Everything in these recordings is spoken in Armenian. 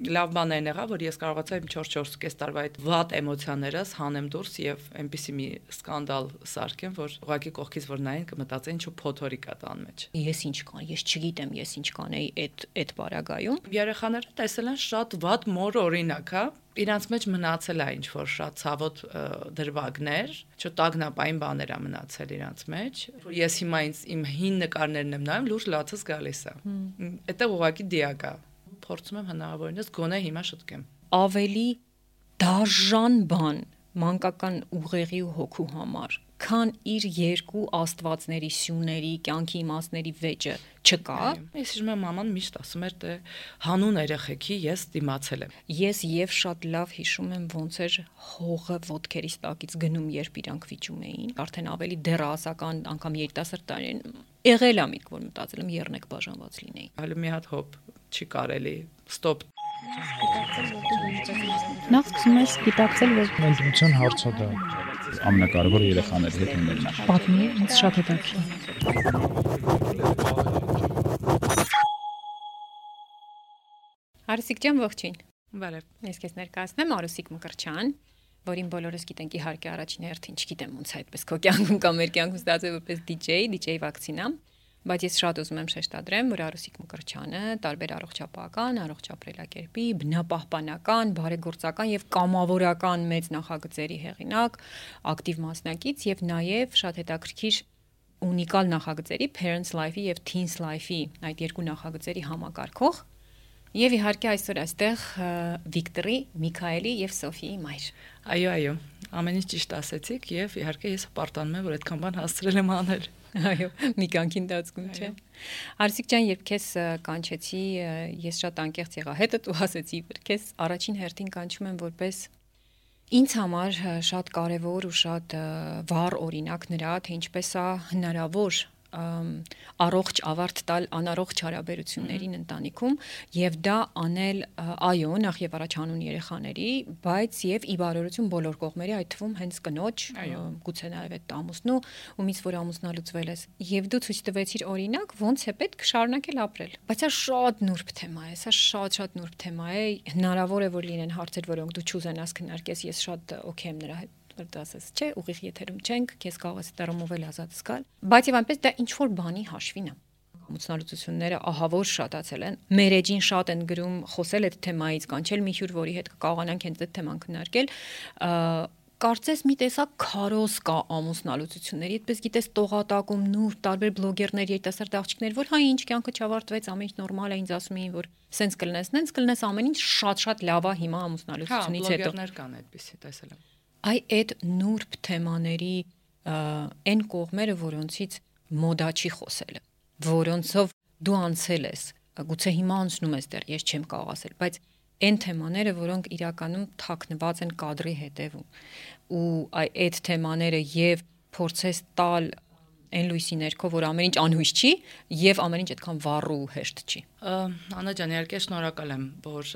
լավ բան եղա, որ ես կարողացա իմ 4-4.5 տարվա այդ վատ էմոցիաներս հանեմ դուրս եւ այնպիսի մի սկանդալ սարքեմ, որ ուղղակի կողքից որ նայեն կմտածեն ինչու փոթորիկ է տան մեջ։ Ես ինչ կան, ես չգիտեմ, ես ինչ կանեի այդ բարագայում։ Երեխաները տեսել են շատ վատ մոր օրինակ, հա, իրանց մեջ մնացել է ինչ որ շատ ցավոտ դրվագներ, չտագնապային բաներ է մնացել իրանց մեջ, որ ես հիմա իմ հին նկարներն եմ նայում, լուրջ լացս գալիս է։ Այդտեղ ուղղակի դիակ է։ Փորձում եմ հնարավորինս գոնե հիմա շտկեմ։ Ավելի դաժան բան մանկական ուղեղի ու հոգու համար, քան իր երկու աստվածների սյուների, կյանքի իմաստների վեճը չկա։ Ես հիշում եմ մաման միշտ ասում էր թե հանուն երեխեքի ես դիմացել եմ։ Ես եւ շատ լավ հիշում եմ ոնց էր հողը ոտքերից տակից գնում, երբ իրանք վիճում էին, արդեն ավելի դեռահասական, անգամ երիտասարդ տարին եղել է միտք, որ մտածել եմ եռնեք բաժանված լինեի։ Հələ մի հատ հոп չի կարելի, ստոպ։ Նախ սկսում ես գիտակցել, որ ընտրության հարցը դա ամենակարևորը երեխաների հետ ունենալն է։ պատմի, ինձ շատ հետաքրքիր։ Արուսիկ ջան, ողջույն։ Բարև։ Ես քեզ ներկայացնեմ Արուսիկ Մկրտչյան, որին բոլորս գիտենք իհարկե առաջին հերթին, չգիտեմ ոնց այդպես քո կյանքում կամ մեր կյանքում ստացվել որպես DJ վակցինա, բայց ես շատ ուզում եմ շեշտադրեմ, որ Արուսիկ Մկրտչյանը տարբեր առողջապահական, առողջապրելակերպի, բնապահպանական, բարեգործական եւ կամավորական մեծ նախագծերի հեղինակ, ակտիվ մասնակից եւ նաեւ շատ հետաքրքիր ունիկալ նախագծերի Parents Life-ի եւ Teens Life-ի այդ երկու նախագծերի համակարգող եւ իհարկե այսօր այստեղ Վիկտորի, Միքայելի եւ Սոֆիի մայր։ Այո, ամեն ինչ ճիշտ ասեցիք եւ իհարկե ես պարտանում եմ որ այդքան բան հասցրել եմ անել։ Այո, մի կյանքի ընթացքում չէ։ Արսիկ ջան, երբ քեզ կանչեցի, ես շատ անկեղծ եղա հետդ ու ասեցի, որ քեզ առաջին հերթին կանչում եմ որպես ինձ համար շատ կարևոր ու շատ վառ օրինակ նրա, թե ինչպես է հնարավոր առողջ ավարտ տալ անառողջ հարաբերություններին ընտանիքում եւ դա անել այո նախ եւ առաջ հանուն երեխաների, բայց եւ ի բարօրություն բոլոր կողմերի, այդ թվում հենց կնոջ, գուցե նաեւ այդ ամուսնու, ումից որ ամուսնալուծվել ես եւ դու ցույց տվեցիր օրինակ ոնց է պետք շարունակել ապրել, բայց սա շատ նուրբ թեմա է, սա շատ նուրբ թեմա է, հնարավոր է որ լինեն հարցեր, որոնք դու չուզենաս քննարկես, ես շատ օքեյ եմ նրա հետ դասես, չէ, ուղիղ եթերում չենք, քեզ կարող ես դեռամովել ազատ զգալ, բայց եւ այնպես դա ինչ որ բանի հաշվին է։ Ամուսնալուծությունները ահավոր շատացել են։ Մեր էջին շատ են գրում, խոսել այդ թեմայից, կանչել մի հյուր, որի հետ կկարողանանք հենց այդ թեման քննարկել։ Կարծես մի տեսակ քարոզ կա ամուսնալուծությունների, այդպես գիտես տողատակում նուր տարբեր բլոգերներ, երիտասարդ աղջիկներ, որ հայ ինչ կյանքը չավարտվեց, ամեն ինչ նորմալ է, ինձ ասում էին, որ սենց կլնես, ամեն ինչ շատ լավ է հիմա ամուսնալուծությունից հետո։ Հա, բլոգերներ կան այդպեսի, տեսել եմ։ Այդ նուրբ թեմաների այն կողմերը, որոնցից մոդա չի խոսելը, որոնցով դու անցել ես, գուցե հիմա անցնում ես դեռ, ես չեմ կարող ասել, բայց այն թեմաները, որոնք իրականում թաքնված են կադրի հետևում, ու այդ թեմաները եւ փորձես տալ այն լույսի ներքո, որ ամեն ինչ անհույս չի եւ ամեն ինչ այդքան վառ ու հեշտ չի։ Աննա ջան, իհարկե շնորհակալ եմ, որ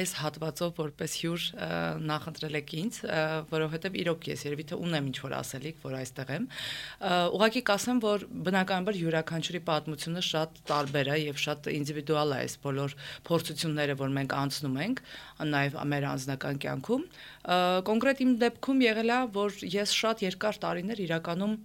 այս հատվածով որպես հյուր նախընտրել եք ինձ, որովհետեւ իրոք ես երևի թե ունեմ ինչ որ ասելիք, որ այստեղ եմ։ Ուղղակի կասեմ, որ բնականաբար յուրաքանչյուրի պատմությունը շատ տարբեր է եւ շատ ինդիվիդուալ է այս բոլոր փորձությունները, որ մենք անցնում ենք, նաեւ մեր անձնական կյանքում։ Կոնկրետ իմ դեպքում եղել է, որ ես շատ երկար տարիներ իրականում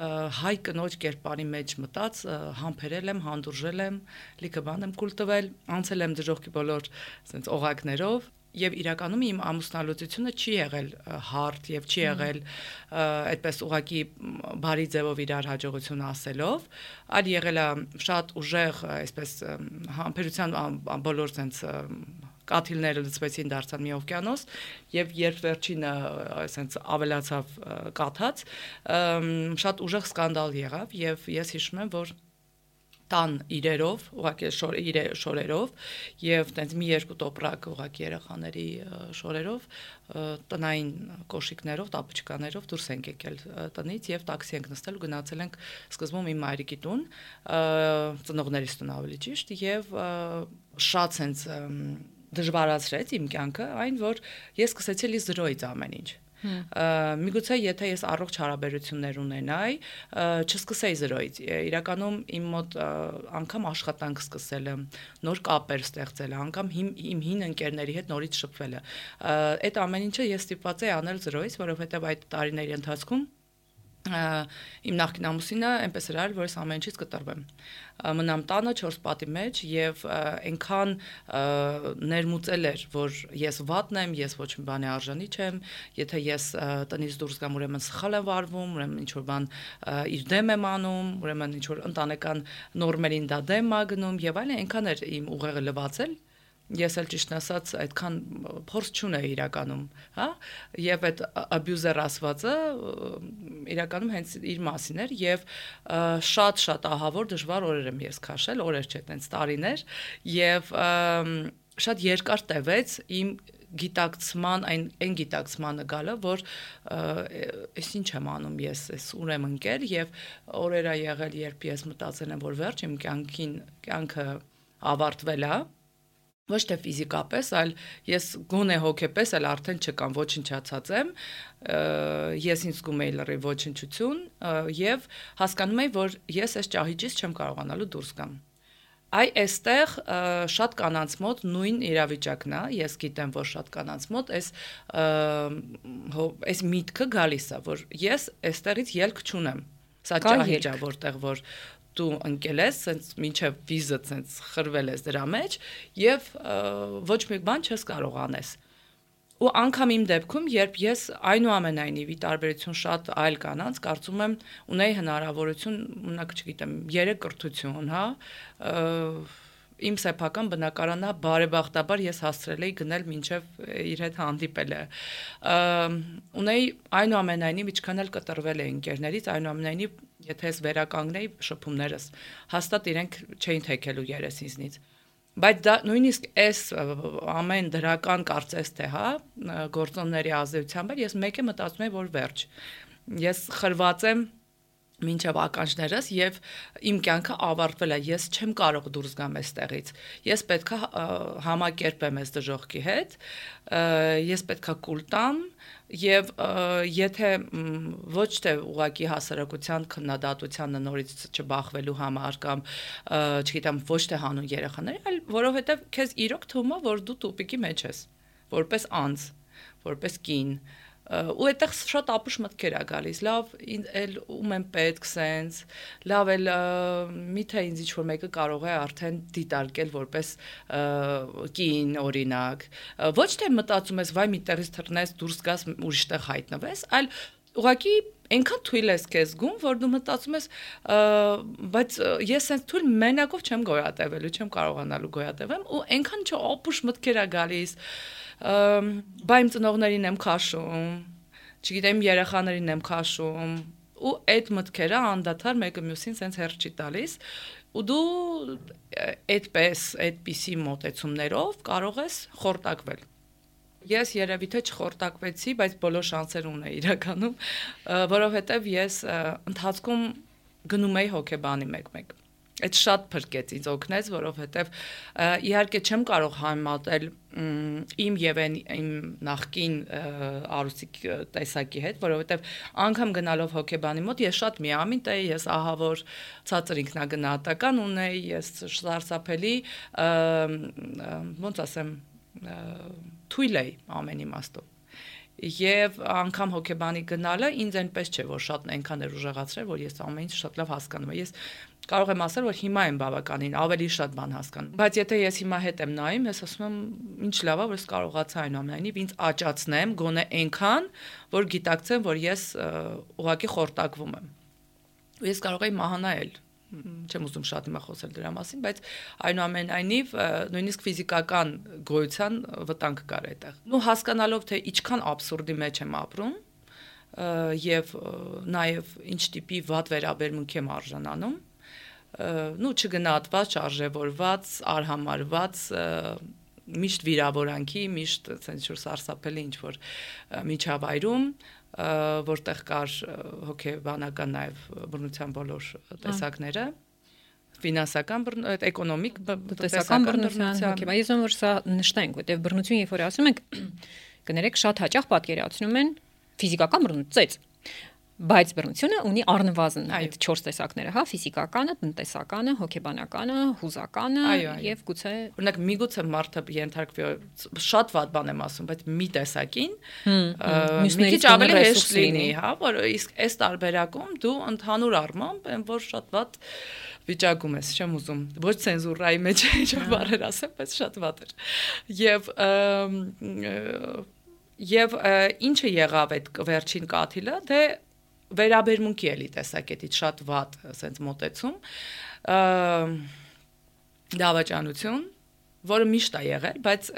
հայ կնոջ կերպարի մեջ մտած, համբերել եմ, հանդուրժել եմ, լիքը բան եմ կուլ տվել, անցել եմ դժոխքի բոլոր ասենց օղակներով եւ իրականում իմ ամուսնալուծությունը չի եղել հարթ եւ չի եղել այդպես ուղակի բարի ձևով իրար հաջողություն ասելով, այլ եղել է շատ ուժեղ այսպես համբերության բոլոր sense կաթիլները լցվեցին, դարձան մի օվկիանոս եւ երբ վերջինը այսպես ավելացավ կաթած, շատ ուժեղ սկանդալ եղավ եւ ես հիշում եմ, որ տան իրերով, ուղղակի շորերով եւ տենց մի երկու տոպրակ ուղղակի երեխաների շորերով, տնային կոշիկներով, տապուչկաներով դուրս ենք եկել տնից եւ տաքսի ենք նստել ու գնացել ենք սկզբում իմ մայրիկի տուն, ծնողներիս տուն ավելի ճիշտ եւ շատ sense դժվարացրեց իմ կյանքը այն, որ ես սկսեցի լի զրոյից ամեն ինչ։ Միգուցե եթե ես առողջ հարաբերություններ ունենայի, չսկսեի զրոյից։ Իրականում իմ մոտ անգամ աշխատանք սկսելը, նոր կապեր ստեղծելը, անգամ իմ հին ընկերների հետ նորից շփվելը։ Այդ ամեն ինչը ես ստիպված էի անել զրոյից, որովհետև այդ տարիների ընթացքում իմ նախկին ամուսինը այնպես էր արել, որ ես ամեն ինչից կտրվեմ։ Մնամ տանը 4 պատի մեջ եւ այնքան ներմուծել էր, որ ես վատն եմ, ես ոչ մի բանի արժանի չեմ, եթե ես տնից դուրս գամ, ուրեմն սխալ եմ վարվում, ուրեմն ինչ որ բան իր դեմ եմ անում, ուրեմն ինչ որ ընտանեկան նորմերին դա դեմ ա գնում եւ այլն, այնքան էր իմ ուղեղը լվացել։ Ես էլ ճիշտ ասած այդքան փորձ չունեի իրականում, հա, եւ այդ abuse-ը ասվածը իրականում հենց իր մասին էր եւ շատ ահավոր դժվար օրեր եմ ես քաշել, օրեր չէ, տենց տարիներ եւ շատ երկար տևեց իմ գիտակցման այն գիտակցմանը գալը, որ այս ինչ եմ անում ես, այս ուր եմ ընկել եւ օրեր ա եղել, երբ ես մտածել եմ, որ վերջ իմ կյանքը ավարտվել է, ոչ թե ֆիզիկապես, այլ ես գոնե հոգեպես էլ արդեն չկամ, ոչնչացած եմ, ես ինձ զգում էի լրիվ ոչնչություն եւ հասկանում էի, որ ես այս ճահիճից չեմ կարողանալու դուրս գամ։ Այստեղ շատ կանանց մոտ նույն իրավիճակն է, ես գիտեմ, որ շատ կանանց մոտ այս միտքը գալիս է, որ ես այստեղից ելք չունեմ։ Սա ճահիճ է, որտեղ որ դու ընկել ես, սենց մինչև վիզը սենց խրվել ես դրա մեջ եւ ոչ մի բան չես կարող անես։ Ու անգամ իմ դեպքում, երբ ես այնուամենայնիվ ի տարբերություն շատ այլ կանանց, կարծում եմ ունեի հնարավորություն, ունակ չգիտեմ, 3 կրթություն, հա, իմ սեփական բնակարանա բարեբախտաբար ես հասցրել էի գնել մինչև իր հետ հանդիպելը։ Ունեի այնուամենայնիվ ինչքան էլ կտրվել էի ընկերներից, այնուամենայնիվ եթե ես վերականգնեի շփումներս, հաստատ իրենք չէին թեքելու երեսինցնից։ Բայց դա նույնիսկ այս ամեն դրական կարծես թե, հա, գործոնների ազդեցությամբ ես մեկ է մտածում եմ, որ վերջ։ Ես խրված եմ մինչև ականջներս եւ իմ կյանքը ավարտվել է, ես չեմ կարող դուրս գամ այստեղից։ Ես պետքա համակերպեմ այս դժողքի հետ, ես պետքա կուլ տամ եւ եթե ոչ թե ուղակի հասարակության քննադատությանը նորից չբախվելու համար կամ չգիտեմ ոչ թե հանուն երեխաների, այլ որովհետեւ քեզ իրոք թվում է, որ դու տուպիկի մեջ ես, որպես անձ, որպես կին ու այդտեղ շատ ապուշ մտքեր ա գալիս, լավ, էլ ում եմ պետք սենց, լավ էլ միթե ինձ ինչ-որ մեկը կարող է արդեն դիտարկել որպես կին օրինակ, ոչ թե մտածում ես, վայ մի տեղից թռնես, դուրս գաս ուրիշ տեղ հայտնվես, այլ ուղղակի այնքան թույլ ես քեզ զգում, որ դու մտածում ես, բայց ես սենց թույլ մենակով չեմ գոյատևելու, չեմ կարողանալու գոյատևեմ ու այնքան չապուշ մտքեր ա գալիս, բա իմ ծնողներին եմ քաշում, չգիտեմ երեխաներին եմ քաշում ու այդ մտքերը անդադար մեկը մյուսին սենց հերթ չի տալիս ու դու այդպիսի մոտեցումներով կարող ես խորտակվել։ Ես երևի թե չխորտակվեցի, բայց բոլոր շանսեր ունեի իրականում, որովհետև ես ընթացքում գնում էի հոգեբանի մեկ-մեկ։ Այդ շատ փրկեց ինձ օգնեց, որովհետև իհարկե չեմ կարող համատել իմ եւ իմ նախկին արուսիկ տեսակի հետ, որովհետև անգամ գնալով հոգեբանի մոտ ես շատ միամիտ էի, ես ահավոր ցածր ինքնագնահատական ունեի, ես սարսափելի, ոնց ասեմ, թույլ էի ամեն իմաստով։ Եվ անգամ հոգեբանի գնալը ինձ այնպես չէ, որ շատ այնքան էր ուժեղացրել, որ ես ամեն ինչ շատ լավ հասկանում եմ։ Ես կարող եմ ասել, որ հիմա եմ բավականին ավելի շատ բան հասկանում։ Բայց եթե ես հիմա հետ եմ նայում, ես ասում եմ, ինչ լավ է, որ ես կարողացա այնուամենայնիվ ինձ աճացնեմ, գոնե այնքան, որ գիտակցեմ, որ ես ուղղակի խորտակվում եմ։ Ես կարող եի մահանալ, չեմ ուզում շատ հիմա խոսել դրա մասին, բայց այնուամենայնիվ նույնիսկ ֆիզիկական գոյության վտանգ կար այդտեղ։ Ու հասկանալով, թե ինչքան աբսուրդի մեջ եմ ապրում, եւ նաեւ ինչ տիպի վատ վերաբերմունք եմ արժանանում, չգնահատված, չարժևորված, արհամարված, միշտ վիրավորանքի, միշտ ցենց որ սարսափելի ինչ որ միջավայրում, որտեղ կար հոգեբանական նաև բռնության բոլոր տեսակները, ֆինանսական էկոնոմիկ տնտեսական բռնության, հոգեբան, ես ուզում որ սա նշտենք, որտեղ բռնություն երբ որ ասում ենք, կներեք շատ հաճախ պատկերացնում են ֆիզիկական բռնություն ծեծ, բայց բռնությունը ունի առնվազն այդ 4 տեսակները, հա, ֆիզիկականը, տնտեսականը, հոգեբանականը, հուզականը եւ գուցե օրինակ միգուցե մարդը ենթարկվի շատ վատ բան եմ ասում, բայց մի տեսակին մի քիչ ավելի հեշտ լինի, հա, որ իսկ այս տարբերակում դու ընդհանուր առմամբ այն որ շատ վատ վիճակում ես, չեմ ուզում ոչ ցենզուրայի մեջ ինչ-որ բառեր ասեմ, բայց շատ վատ էր։ Եվ ինչը եղավ այդ վերջին կաթիլը, դե վերաբերմունքի էլի տեսակետից շատ վատ ասենց մոտեցում, դավաճանություն, որը միշտ է եղել, բայց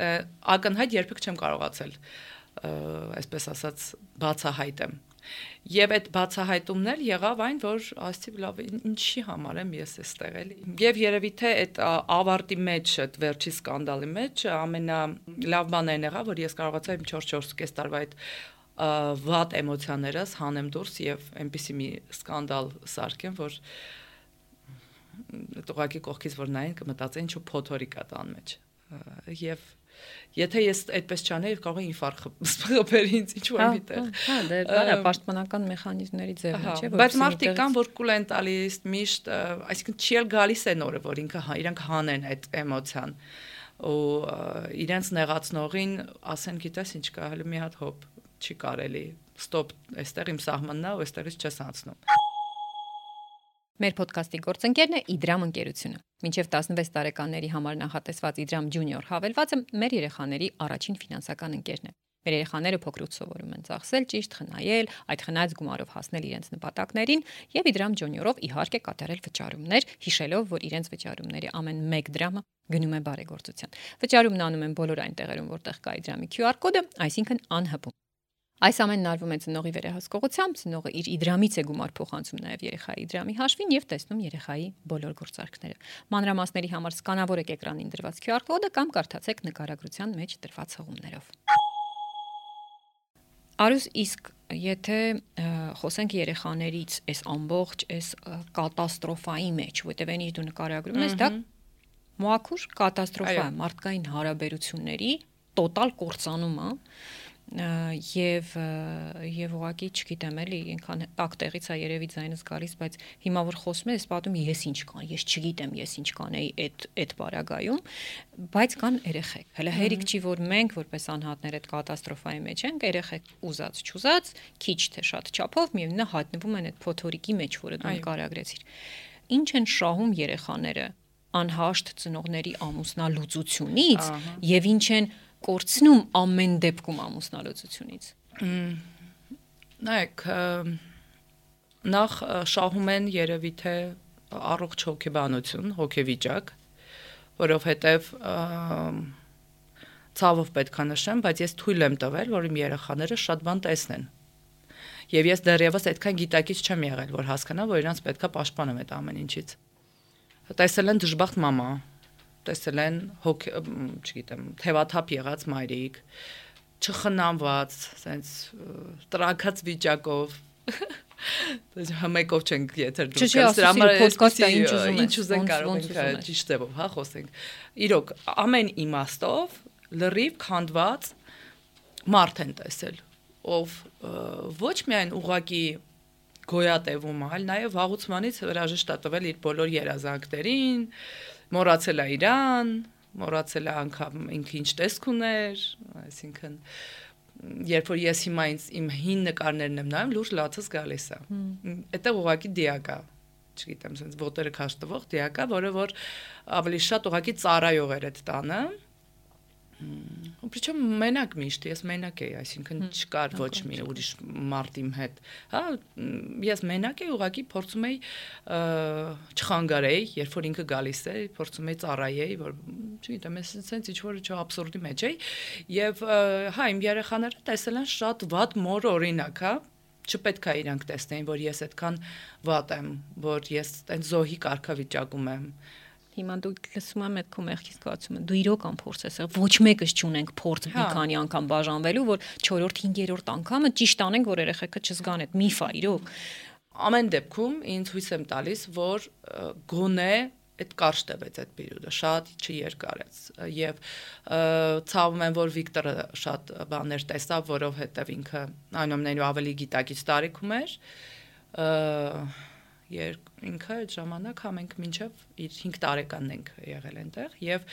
ակնհայտ երբեք չեմ կարողացել, այսպես ասած, բացահայտեմ։ Եվ այդ բացահայտումներ եղավ այն, որ ասեցի լավ, ինչի համար եմ ես այստեղ էլի։ Եվ երևի թե այդ ավարտի մեջ, այդ վերջի սկանդալի մեջ ամենալավ բանը այն եղավ, որ ես կարողացա իմ 4-4.5 տարվա այդ վատ էմոցիաներս հանեմ դուրս եւ այնպիսի մի սկանդալ սարքեմ, որ տղակի կողքից որ նային կմտածեն ինչու փոթորիկ է տան մեջ։ Եվ եթե ես այդպես չանեի, կարող է ինֆարկտ խփեր ինձ ինչու եմ միտեղ։ Հա, դա պաշտպանական մեխանիզմների ձևն է, չէ՞, որ բայց մարդիկ կան, որ կուլ են տալիս միշտ, այսինքն չի էլ գալիս այն օրը, որ իրանք հանեն այդ էմոցիան ու իրենց նեղացնողին ասեն, գիտես ինչ կա, հələ մի հատ հոп չի կարելի, ստոպ, այստեղ իմ սահմանն է ու այստեղից չես անցնում։ Մեր ոդքասթի գործընկերն է Իդրամ ընկերությունը։ Մինչև 16 տարեկանների համար նախատեսված Իդրամ Junior հավելվածը մեր երեխաների առաջին ֆինանսական ընկերն է։ Մեր երեխաները փոքրուց սովորում են ծախսել ճիշտ, խնայել, այդ խնայած գումարով հասնել իրենց նպատակներին եւ Իդրամ Junior-ով իհարկե կատարել վճարումներ, հիշելով, որ իրենց վճարումների ամեն 1 դրամը գնում է բարեգործության։ Վճարումն անում են բոլոր այն տեղերում, որտեղ կա Իդրամի QR կոդը, այսինքն անհպում։ Այս ամենն արվում է ծնողի վերահսկողությամբ, ծնողը իր Իդրամից է գումար փոխանցում նաև երեխայի Իդրամի հաշվին եւ տեսնում երեխայի բոլոր գործարքները։ Մանրամասների համար սկանավորեք էկրանին դրված QR կոդը կամ կարդացեք նկարագրության մեջ տրված հղումներով։ Արուս, իսկ եթե խոսենք երեխաներից այս ամբողջ այս կատաստրոֆայի մեջ, որտեղ այնի դու նկարագրում ես, դա մոակուր կատաստրոֆա է, մարդկային հարաբերությունների տոտալ կործանում է։ Եվ ուղղակի չգիտեմ էլի ինքան տակ տեղից է երևի ձայնս գալիս, բայց հիմա որ խոսում ես, պատում ես ինչ կան, ես չգիտեմ ես ինչ կանեի այդ բարագայում, բայց կան երեխեք։ Հələ հերիք չի որ մենք որպես անհատներ այդ կատաստրոֆայի մեջ ենք, երեխեք ուզած չուզած, քիչ թե շատ չափով միևնույնն է հայտնվում են այդ փոթորիկի մեջ, որը դու նկարագրեցիր։ Ինչ են շահում երեխաները անհաշտ ծնողների ամուսնալուծությունից եւ ինչ են կորցնում ամեն դեպքում ամուսնալուծությունից։ Նայեք, նախ շահում են երևի թե առողջ հոգեբանություն, հոգեվիճակ, որովհետև ցավով պետք է նշեմ, բայց ես թույլ եմ տվել, որ իմ երեխաները շատ բան տեսնեն։ Եվ ես դեռևս այդքան գիտակից չեմ եղել, որ հասկանամ, որ իրանց պետք է պաշտպանեմ այդ ամեն ինչից։ Տեսել են դժբախտ մամա, տեսել են չգիտեմ, թևաթափ եղած մայրիկ, չխնամված, ասենց տրակած վիճակով, մեկով չենք եթեր դուրս գալիս, դրա համար podcast-ը ինչ ուզենք կարող ենք ճիշտ ձևով, հա, խոսենք։ Իրոք, ամեն իմաստով լրիվ քանդված մարդ են տեսել, ով ոչ միայն ուղակի գոյատևում, այլ նաև վաղուցմանից հրաժեշտ է տվել իր բոլոր երազանքներին, մոռացել է իրան, մոռացել է անգամ ինքը ինչ տեսք ուներ, այսինքն երբ որ ես հիմա իմ հին նկարներն եմ նայում, լուրջ լացս գալիս է։ Այդտեղ ուղղակի դիակ է, չգիտեմ, sense ոտերը քաշտվող դիակ է, որը որ ավելի շատ ուղղակի ծառայող էր այդ տանը։ Причем մենակ միշտ ես մենակ էի, այսինքն չկար ոչ մի ուրիշ մարդ իմ հետ, հա, ես մենակ էի, ուղղակի փորձում էի չխանգարեի, երբ որ ինքը գալիս է, փորձում էի ծառայեի, որ չգիտեմ, ես sense ինչ որ չէ абսուրդի մեջ էի, եւ հա, իմ երեխաները տեսել են շատ վատ մոր օրինակ, հա, չպետք է իրանք տեսնեին, որ ես այդքան վատ եմ, որ ես այն զոհի կարգավիճակում եմ։ Հիմա դու լսում եմ այդ քո մեղքի զգացումը, դու իրոք ամփորձ ես, ոչ մեկս չունենք փորձ մի քանի անգամ բաժանվելու, որ 4-րդ, 5-րդ անգամը ճիշտ անենք, որ երեխեքը չզգան այդ միֆ է իրոք։ Ամեն դեպքում ինձ հույս եմ տալիս, որ գոնե այդ կարճ տևեց այդ պերիոդը, շատ չերկարեց եւ ցավում եմ, որ Վիկտորը շատ բաներ տեսավ, որովհետեւ ինքը այնուամենայնիվ ավելի գիտակից տարիքում էր, ինքը այդ ժամանակ համենք մինչեւ իր 5 տարեկանն ենք եղել այնտեղ եւ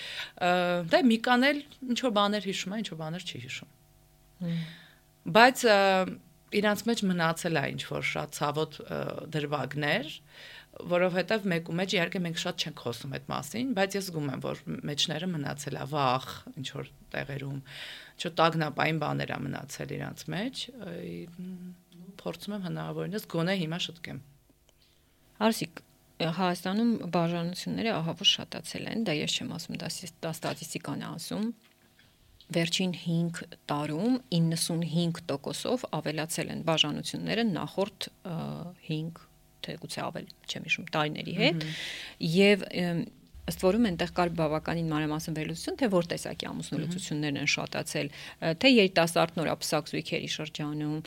դե Միկան էլ ինչ որ բաներ հիշում է, ինչ որ բաներ չի հիշում։ Բայց իրանց մեջ մնացել է ինչ որ շատ ցավոտ դրվագներ, որովհետև մեկու մեջ իհարկե մենք շատ չենք խոսում այդ մասին, բայց ես զգում եմ, որ մեջները մնացել է վախ, ինչ որ տեղերում, չտագնապային բաներ է մնացել իրանց մեջ, փորձում եմ հնարավորինս գոնե հիմա շտկեմ։ Արսիկ, Հայաստանում բաժանությունները ահավոր շատացել են, դա ես չեմ ասում, դա ստատիստիկան է ասում։ Վերջին 5 տարում 95%-ով ավելացել են բաժանությունները նախորդ 5 թե գուցե ավել, չեմ հիշում, տարիների հետ, եւ ըստ որում այնտեղ կար բավականին մանրամասն վերլուծություն, թե որ տեսակի ամուսնալուծություններն են շատացել, թե երիտասարդ նորապսակ զույգերի շրջանում,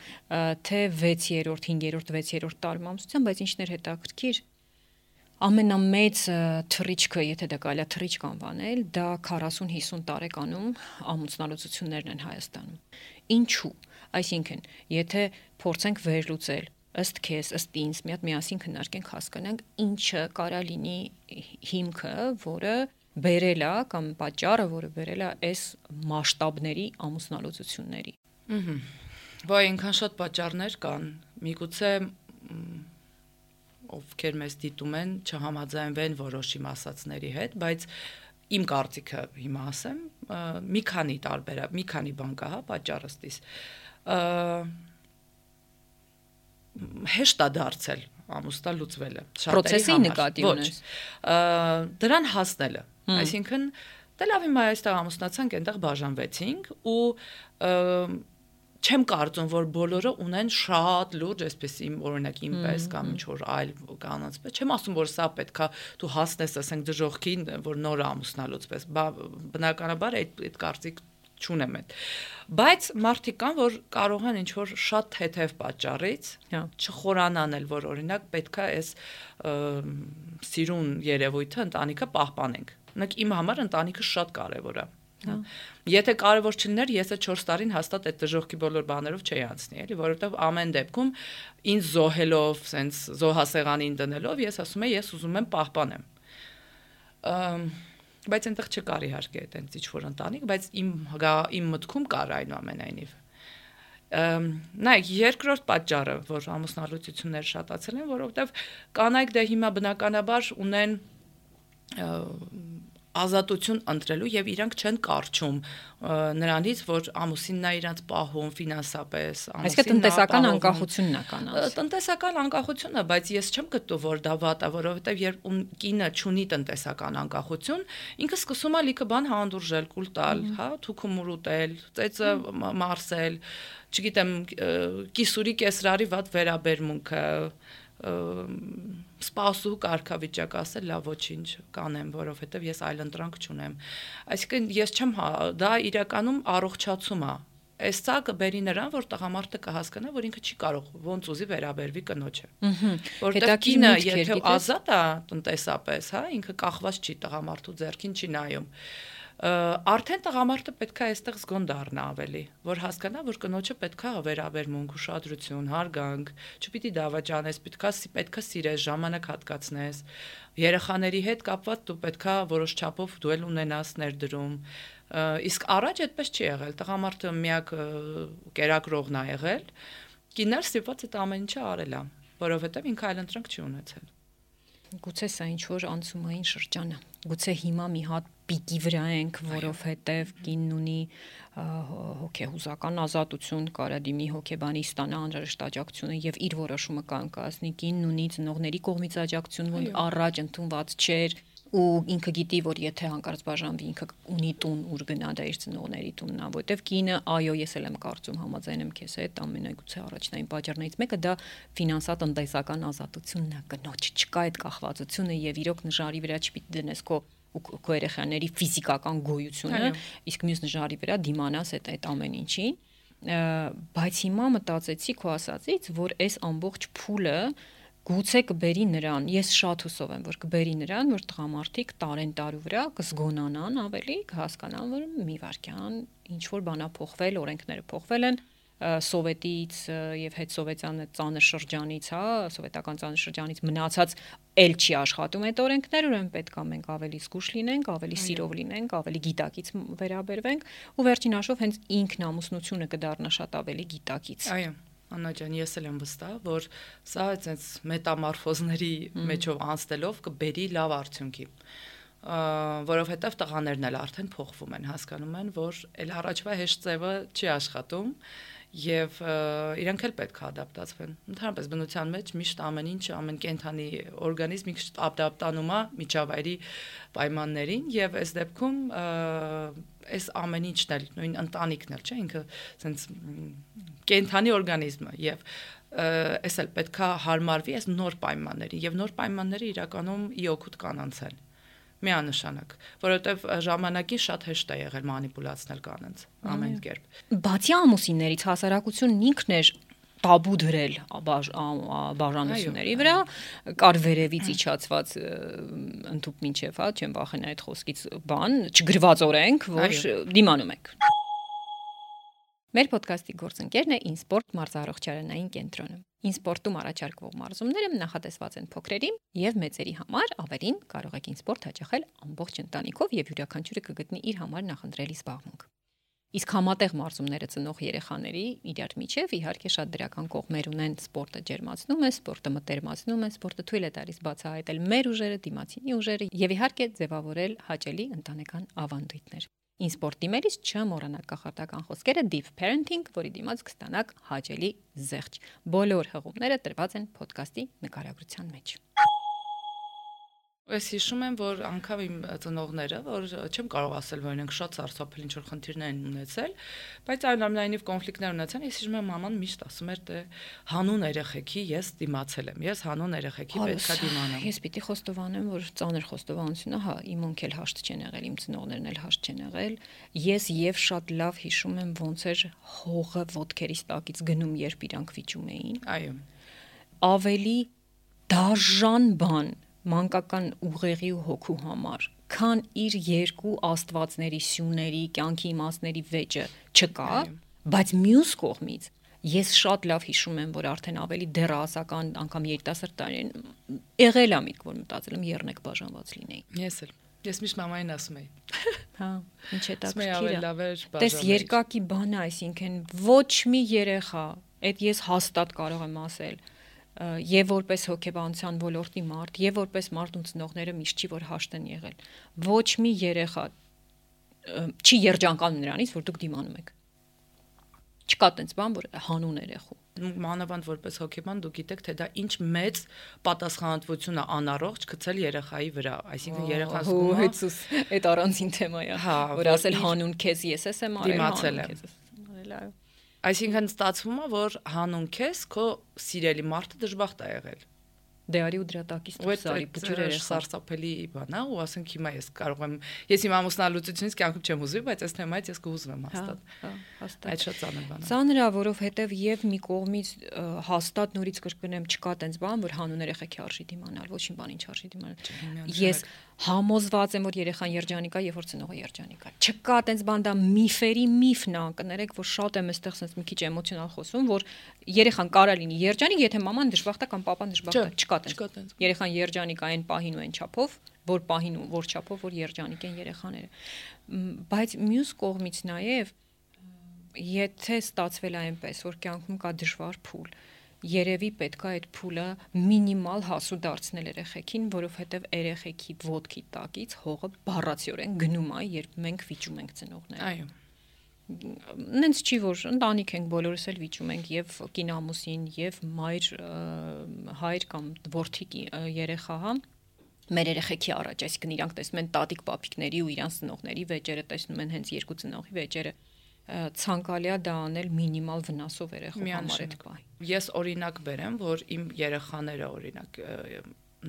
թե 6-րդ, 5-րդ, 6-րդ տարում ամուսնության, բայց ինչն էր հետաքրքիր, ամենամեծ թռիչքը, եթե դա կարելի է թռիչք անվանել, դա 40-50 տարեկանում ամուսնալուծություններն են Հայաստանում։ Ինչու՞։ Այսինքն, եթե փորձենք վերլուծել ըստ քեզ, ըստ ինձ, միասին քննարկենք, հասկանանք, ինչը կարա լինի հիմքը, որը բերել է կամ պատճառը, որը բերել է այս մասշտաբների ամուսնալուծությունների։ Ոայ այնքան շատ պատճառներ կան, միգուցե ովքեր մեզ դիտում են, չհամաձայնվեն որոշ իմ ասածների հետ, բայց իմ կարծիքը հիմա ասեմ, մի քանի բան կա, հա, պատճառը ստիս։ Հեշտ է դարձել ամուսնալուծվելը պրոցեսի նկատի ունես դրան հասնելը այսինքն դե լավ հիմա այստեղ ամուսնացանք այնտեղ բաժանվեցինք ու չեմ կարծում որ բոլորը ունեն շատ լուրջ այսպես իմ օրինակ ինպես կամ ինչ որ այլ կանանց պես չեմ ասում որ սա պետքա դու հասնես ասենք դժողքին որ նոր ամուսնալուծվես բնականաբար այդ կարծիք չունեմ այդ բայց մարդիկ կան որ կարող են ինչ որ շատ թեթև պատճառից չխորանան էլ որ օրինակ պետքա այս սիրուն երևույթը ընտանիքը պահպանենք օրինակ իմ համար ընտանիքը շատ կարևոր է եթե կարևոր չլիներ ես այդ 4 տարին հաստատ այդ դժողքի բոլոր բաներով չէի անցնի էլի որովհետև ամեն դեպքում ինձ զոհելով սենց զոհասեղանին դնելով ես ասում եմ ես ուզում եմ պահպանեմ բայց այնտեղ չկար իհարկե այտենց ինչ որ ընտանիք, բայց իմ մտքում կար այնուամենայնիվ։ Նայեք, երկրորդ պատճառը, որ ամուսնալուծությունները շատացել են, որովհետև կանայք դե հիմա բնականաբար ունեն ազատություն ընտրելու եւ իրանք չեն կարճում նրանից որ ամուսինն է իրանք պահում ֆինանսապես այսինքն տնտեսական անկախությունն է կանանց տնտեսական անկախությունը բայց ես չեմ գտնում որ դա վատ է որովհետեւ երբ կինը չունի տնտեսական անկախություն ինքը սկսում է լիքը բան հանդուրժել կուլ տալ հա թուքում ուտել ծեծը մարսել չգիտեմ կիսուրի կեսրարի վատ վերաբերմունքը սպասու կարգավիճակ ասել լավ ոչինչ կանեմ որովհետև ես այլ ընտրանք չունեմ այսինքն ես չեմ դա իրականում առողջացում է այս սա կբերի նրան որ տղամարդը կհասկանա որ ինքը չի կարող ոնց ուզի վերաբերվի կնոջը որովհետև կինը եթե ազատ է տնտեսապես հա ինքը կախված չի տղամարդու ձեռքին չի նայում արդեն տղամարդը պետքա այստեղ զգոն դառնա ավելի որ հասկանա որ կնոջը պետքա վերաբերմունք ուշադրություն հարգանք չպիտի դավաճանես պետքա սիրես ժամանակ հատկացնես երեխաների հետ կապված դու պետքա որոշ չափով դու էլ ունենաս ներդրում իսկ առաջ այդպես չի եղել տղամարդը միակ կերակրողն է եղել կինն ստիպված այդ ամեն ինչը արել է որովհետև ինքը այլ ընտրանք չի ունեցել գուցե սա ինչ որ անցումային շրջան է գուցե հիմա մի հատ պիկի վրա ենք որովհետև կինն ունի հոգեհուզական ազատություն կարա դիմի հոգեբանի ստանա անհրաժեշտ աջակցությունը եւ իր որոշումը կանգնի կինն ունի ծնողների կողմից աջակցություն որ առաջ ընդունված չէր ու ինքը գիտի որ եթե հանկարծ բաժանվի ինքը ունի տուն ուր գնա դա իր ծնողների տունն է որովհետև կինը այո ես էլ եմ կարծում համաձայն եմ քեզ հետ ամենագուցե առաջնային պատճառներից մեկը դա ֆինանսատնտեսական ազատությունն է կնոջ չկա այդ կախվածությունը եւ իրոք նժարի վրա չպիտի դնես քո երեխաների ֆիզիկական գոյությունը իսկ մյուս նժարի վրա դիմանաս այդ ամեն ինչին բայց հիմա մտածեցի քո ասածից որ այս ամբողջ փուլը գուցե կբերի նրան, ես շատ հուսով եմ, որ կբերի նրան, որ տղամարդիկ տարեն տարու վրա կզգոնանան ավելի, կհասկանան, որ մի վարքյան ինչ որ բանա փոխվել, օրենքները փոխվել են, սովետից եւ հետսովետյան ծանր շրջանից, սովետական ծանր շրջանից մնացած էլ չի աշխատում այդ օրենքները, ուրեմն պետք է մենք ավելի զգուշ լինենք, ավելի սիրով լինենք, ավելի գիտակից վերաբերվենք ու վերջին հաշվով հենց ինքնամուսնությունը կդառնա շատ ավելի գիտակից։ Այո, Աննա ջան, ես էլ եմ վստահ, որ սա այդպես մետամորֆոզների մեջով անցնելով կբերի լավ արդյունքի, որովհետև տղաներն էլ արդեն փոխվում են, հասկանում են, որ էլ առաջվա հեշտ ձևը չի աշխատում եւ իրանք էլ պետք է ադապտացվեն։ Ընդհանրապես բնության մեջ միշտ ամեն ինչ, ամեն կենդանի օրգանիզմ ինքը ադապտանում է միջավայրի պայմաններին եւ այս դեպքում այս ամեն ինչն էլ նույն ընտանիքն էլ, չէ, ինքը ասենց կենդանի օրգանիզմը եւ այս էլ պետք է հարմարվի այս նոր պայմաններին եւ նոր պայմանները իրականում ի օգուտ կանանց են միանշանակ, որովհետև ժամանակին շատ հեշտ է եղել մանիպուլացնել կանանց ամեն կերպ։ Բացի ամուսիններից հասարակությունն ինքն էր տաբու դրել բաժանությունների վրա, կար վերևից իջացված ընդհուպ մինչև, չեմ վախենա այդ խոսքից բան, չգրված օրենք, որ դիմանում եք։ Մեր ոդկասթի գործընկերն է InSport մարզարողջարանային կենտրոնը։ InSport-ում առաջարկվող մարզումները նախատեսված են փոքրերի եւ մեծերի համար, ավելին կարող եք InSport հաճախել ամբողջ ընտանիքով եւ յուրաքանչյուրը կգտնի իր համար նախընտրելի զբաղմունք։ Իսկ համատեղ մարզումները ծնող երեխաների իրար միջև իհարկե շատ դրական կողմեր ունեն, սպորտը ջերմացնում է, սպորտը մտերմացնում է, սպորտը թույլ է տալիս բացահայտել մեր ուժերը, դիմացինի ուժերը եւ իհարկե ձևավորել հաճելի ընտանեկան ավանդույթներ։ InSport իմերից չմոռանաք կախարդական խոսքերը Deep Parenting, որի դիմաց կստանաք հաճելի զեղչ։ Բոլոր հղումները տրված են ոդկասթի նկարագրության մեջ։ Ես հիշում եմ, որ անգամ իմ ծնողները, որ չեմ կարող ասել, որ իրենք շատ սարսափել ինչ որ խնդիրներ են ունեցել, բայց այնուամենայնիվ կոնֆլիկտներ ունեցան, ես հիշում եմ մաման միշտ ասում էր, թե հանուն երեխեքի ես դիմացել եմ, ես հանուն երեխեքի պետքա դիմանամ։ Ես պիտի խոստովանեմ, որ ծանր խոստովանությունը, իմ ունք էլ հաշտ չեն եղել, իմ ծնողներն էլ հաշտ չեն եղել։ Ես եւ շատ լավ հիշում եմ ոնց էր հողը ոտքերից տակից գնում, երբ իրանք վիճում էին։ Այո։ Ավելի դաժան բան մանկական ուղեղի ու հոգու համար, քան իր երկու աստվածների սյուների, կյանքի իմաստների վեճը չկա, բայց մյուս կողմից ես շատ լավ հիշում եմ, որ արդեն ավելի դեռահասական, անգամ երիտասարդ տարին եղել եմ միտք, որ մտածել եմ եռնեք բաժանված լինեի։ Ես էլ։ Ես միշտ մամային ասում էի։ Հա, ինչ է դա քիրա։ Տես երկակի բան է, այսինքն ոչ մի երեխա, այդ ես հաստատ կարող եմ ասել, եւ որպես հոգեբանության ոլորտի մարդ, եւ որպես մարդ ու ծնողները միշտ չի որ հաշտ են եղել։ Ոչ մի երեխա չի երջանկանում նրանից, որ դուք դիմանում եք։ Չկա տենց բան, որ հանուն երեխու։ Մանավանդ որպես հոգեբան դուք գիտեք, թե դա ինչ մեծ պատասխանատվություն է անառողջ գցել երեխայի վրա, այսինքն երեխան զգում է, այդ առանձին թեմա է, որ ասել հանուն քեզ ես եմ արել, դիմացել եմ։ Այսինքն ստացվում է, որ հանուն քեզ քո սիրելի մարդը դժբախտ է եղել։ Դե արի ու դրա տակից դուրսարի բջուրերը սարսափելի բան է ու ասենք հիմա ես կարող եմ ես իմ ամուսնալուծությունից կյանքում չեմ ուզվի, բայց այս թեմայից ես կուզվեմ հաստատ։ Այդ շատ ծանր բան է։ Ծանր է, որովհետև եւ մի կողմից հաստատ նորից կրկնեմ, չկա տենց բան, որ հանուն երեխեքի արժի դիմանալ, ոչինչ բան ինչ արժի դիմանալ։ Ես համոզված եմ, որ երեխան երջանիկ է, եւ որ ծնողը երջանիկ է։ Չկա տենց բան, դա միֆերի միֆն է, կներեք, որ շատ եմ այստեղ sense մի քիչ էմոցիոնալ խոսում, որ երեխան կարա լինի երջանիկ, եթե մաման դժբախտ է կամ պապան դժբախտ է։ Չկա տենց։ Երեխան երջանիկ է այն պահին ու այն չափով, որ պահին ու որ չափով, որ երջանիկ են երեխաները։ Բայց մյուս կողմից նաեւ եթե ստացվել է այնպես, որ կյանքում կա դժվար փուլ, երևի պետք է այդ փուլը մինիմալ հասու դարձնել երեխեքին, որովհետև երեխեքի ոտքի տակից հողը բառացիորեն գնում է, երբ մենք վիճում ենք ծնողները։ Այո։ Նենց չի, որ ընտանիք ենք, բոլորս էլ վիճում ենք եւ կինամուսին եւ մայր, հայր կամ որդի երեխա, հա, մեր երեխեքի առաջ, այսինքն իրանք տեսնում են տատիկ պապիկների ու իրանց ծնողների վեճերը, տեսնում են հենց երկու ծնողի վեճերը, ցանկալի է դա անել մինիմալ վնասով երեխու համար այդ բան։ Ես օրինակ բերեմ, որ իմ երեխաները օրինակ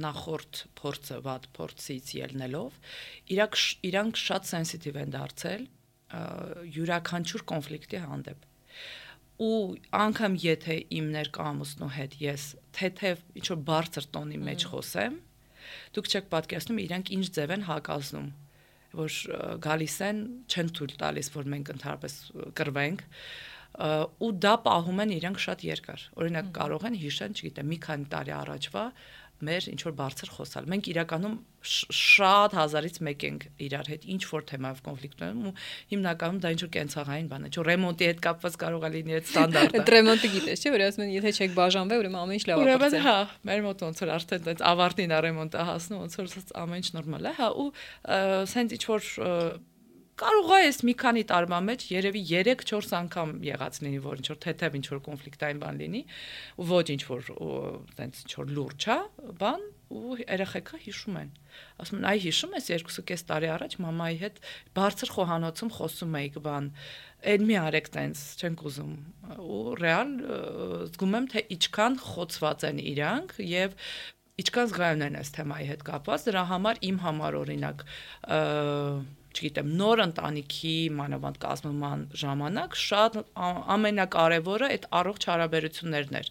նախորդ փորձը վատ փորձից ելնելով, իրանք շատ սենսիտիվ են դարձել յուրաքանչյուր կոնֆլիկտի հանդեպ։ ու անգամ եթե իմ ներկայամուսնու հետ ես թեթև ինչ որ բարձր տոնի մեջ խոսեմ, դուք չեք պատկերացնում իրանք ինչ ձև են հակազնում, որ գալիս են, չեն թույլ տալիս, որ մենք ընդհանրապես կռվենք, ու դա պահում են իրանք շատ երկար։ Օրինակ կարող են հիշեն, չգիտեմ, մի քանի տարի առաջվա մեր ինչ որ բարձր խոսալ։ Մենք իրականում շատ հազարից մեկ ենք իրար հետ ինչ որ թեմայով կոնֆլիկտ ունենում ու հիմնականում դա ինչ որ կենցաղային բան է, չէ՞ ռեմոնտի հետ կապված կարող է լինի այդ ստանդարտը։ Այդ ռեմոնտը գիտես, չէ՞, որ ասում են, եթե չեք բաժանվել, ուրեմն ամեն ինչ լավ է։ Ուրեմն հա, մեր մոտ ոնց որ արդեն այդ ավարտին է ռեմոնտը հասնում, ոնց որ ամեն ինչ նորմալ է, հա, ու սենց ինչ որ կարող է ես մի քանի տարվա մեջ երևի 3-4 անգամ եղած լինի, որ ինչ որ թեթև ինչ որ կոնֆլիկտային բան լինի, ու ոչ ինչ որ տենց ինչ որ լուրջ է, բան, ու երեխեքը հիշում են։ Ասում են, այ հիշում ես 2.5 տարի առաջ մամայի հետ բարձր խոհանոցում խոսում էիք բան, այն մի արեք տենց, չենք ուզում։ Ու ռեալ զգում եմ, թե ինչքան խոցված են իրանք եւ ինչքան զգայուն են այս թեմայի հետ կապված, դրա համար իմ համար օրինակ չգիտեմ, նոր ընտանիքի մանավանդ կազմման ժամանակ շատ ամենակարևորը այդ առողջ հարաբերություններն էր։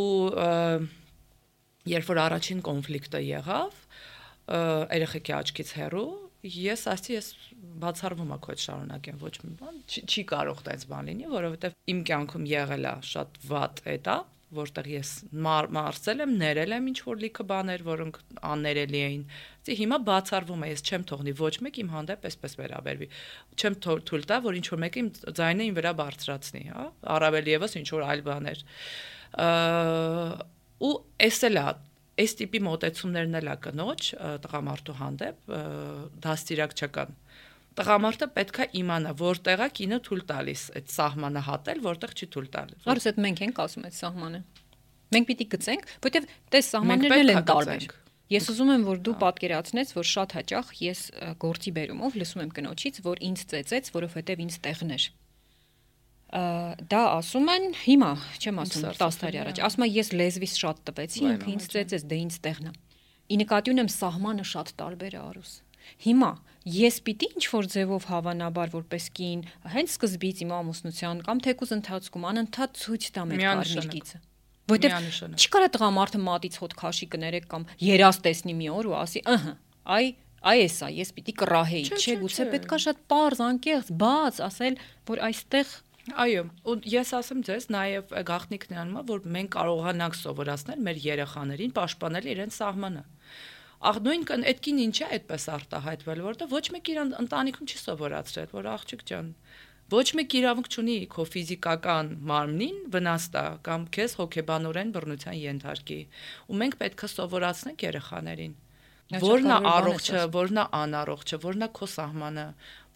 Ու երբ որ առաջին կոնֆլիկտը եղավ, երեխեքի աչքից հեռու, ես ասացի, ես բացառվում եմ քո հետ շարունակեմ, ոչ մի բան, չի կարող տենց բան լինի, որովհետև իմ կյանքում եղել է շատ վատ էտապ, որտեղ ես մարսել եմ, ներել եմ ինչ որ լիքը բաներ, որոնք աններելի էին։ Դե հիմա բացառվում է, ես չեմ թողնի ոչ մեկ իմ հանդեպ այսպես վերաբերվի։ Չեմ թույլ տա, որ ինչ որ մեկը իմ ձայնը իմ վրա բարձրացնի, հա, առավել եւս ինչ որ այլ բաներ։ Ու էս էլ է, այս տիպի մոտեցումներն էլ է կնոջ տղամարդու հանդեպ դաստիարակ չկան։ Տղամարդը պետք է իմանա, որտեղ է կինը թույլ տալիս այդ սահմանը հատել, որտեղ չի թույլ տալիս։ Արուս այդ մենք ենք ասում այդ սահմանը։ Մենք պիտի գծենք, որտեղ տես սահմաններն են տարբեր։ Ես ուզում եմ, որ դու պատկերացնես, որ շատ հաճախ ես գործի բերումով լսում եմ կնոջից, որ ինձ ծեծեց, որովհետև ինձ տեղն էր։ Դա ասում են հիմա, չեմ ասում 10 տարի առաջ, ասում եմ ես լեզվիս շատ տվեցի, ինքը ինձ ծեծեց, դե ինձ տեղն է։ Ի նկատի ունեմ սահմանը շատ տարբեր է, Արուս։ Հիմա ես պիտի ինչ-որ ձևով հավանաբար որպես կին, հենց սկզբից իմ ամուսնության կամ թեկուզ ընթացքում անընդհատ ցույց տամ այդ կարմիր գիծը։ Որտեւ չկարա տղամարդը մատից հոտ քաշի կներեք կամ երաս տեսնի մի օր ու ասի, այ էսա, ես պիտի կռահեի, չէ, գուցե պետքա շատ պարզ, անկեղծ, բաց ասել, որ այստեղ Այո, ու ես ասեմ ձեզ, նաև գաղտնիքն անում է, որ մենք կարողանանք սովորացնել մեր երեխաներին պաշտպանել իրենց սահմանը։ Նույն այդ կին ինչ է այդպես արտահայտվել, որտեղ ոչ մեկ իրան ընտանիքում չի սովորացրել, որ աղջիկ ջան, ոչ մեկ իրավունք չունի քո ֆիզիկական մարմնին վնաս տա կամ քեզ հոգեբանորեն բռնության ենթարկի։ Ու մենք պետք է սովորացնենք երեխաներին, որն է առողջը, որն է անառողջը, որն է քո սահմանը,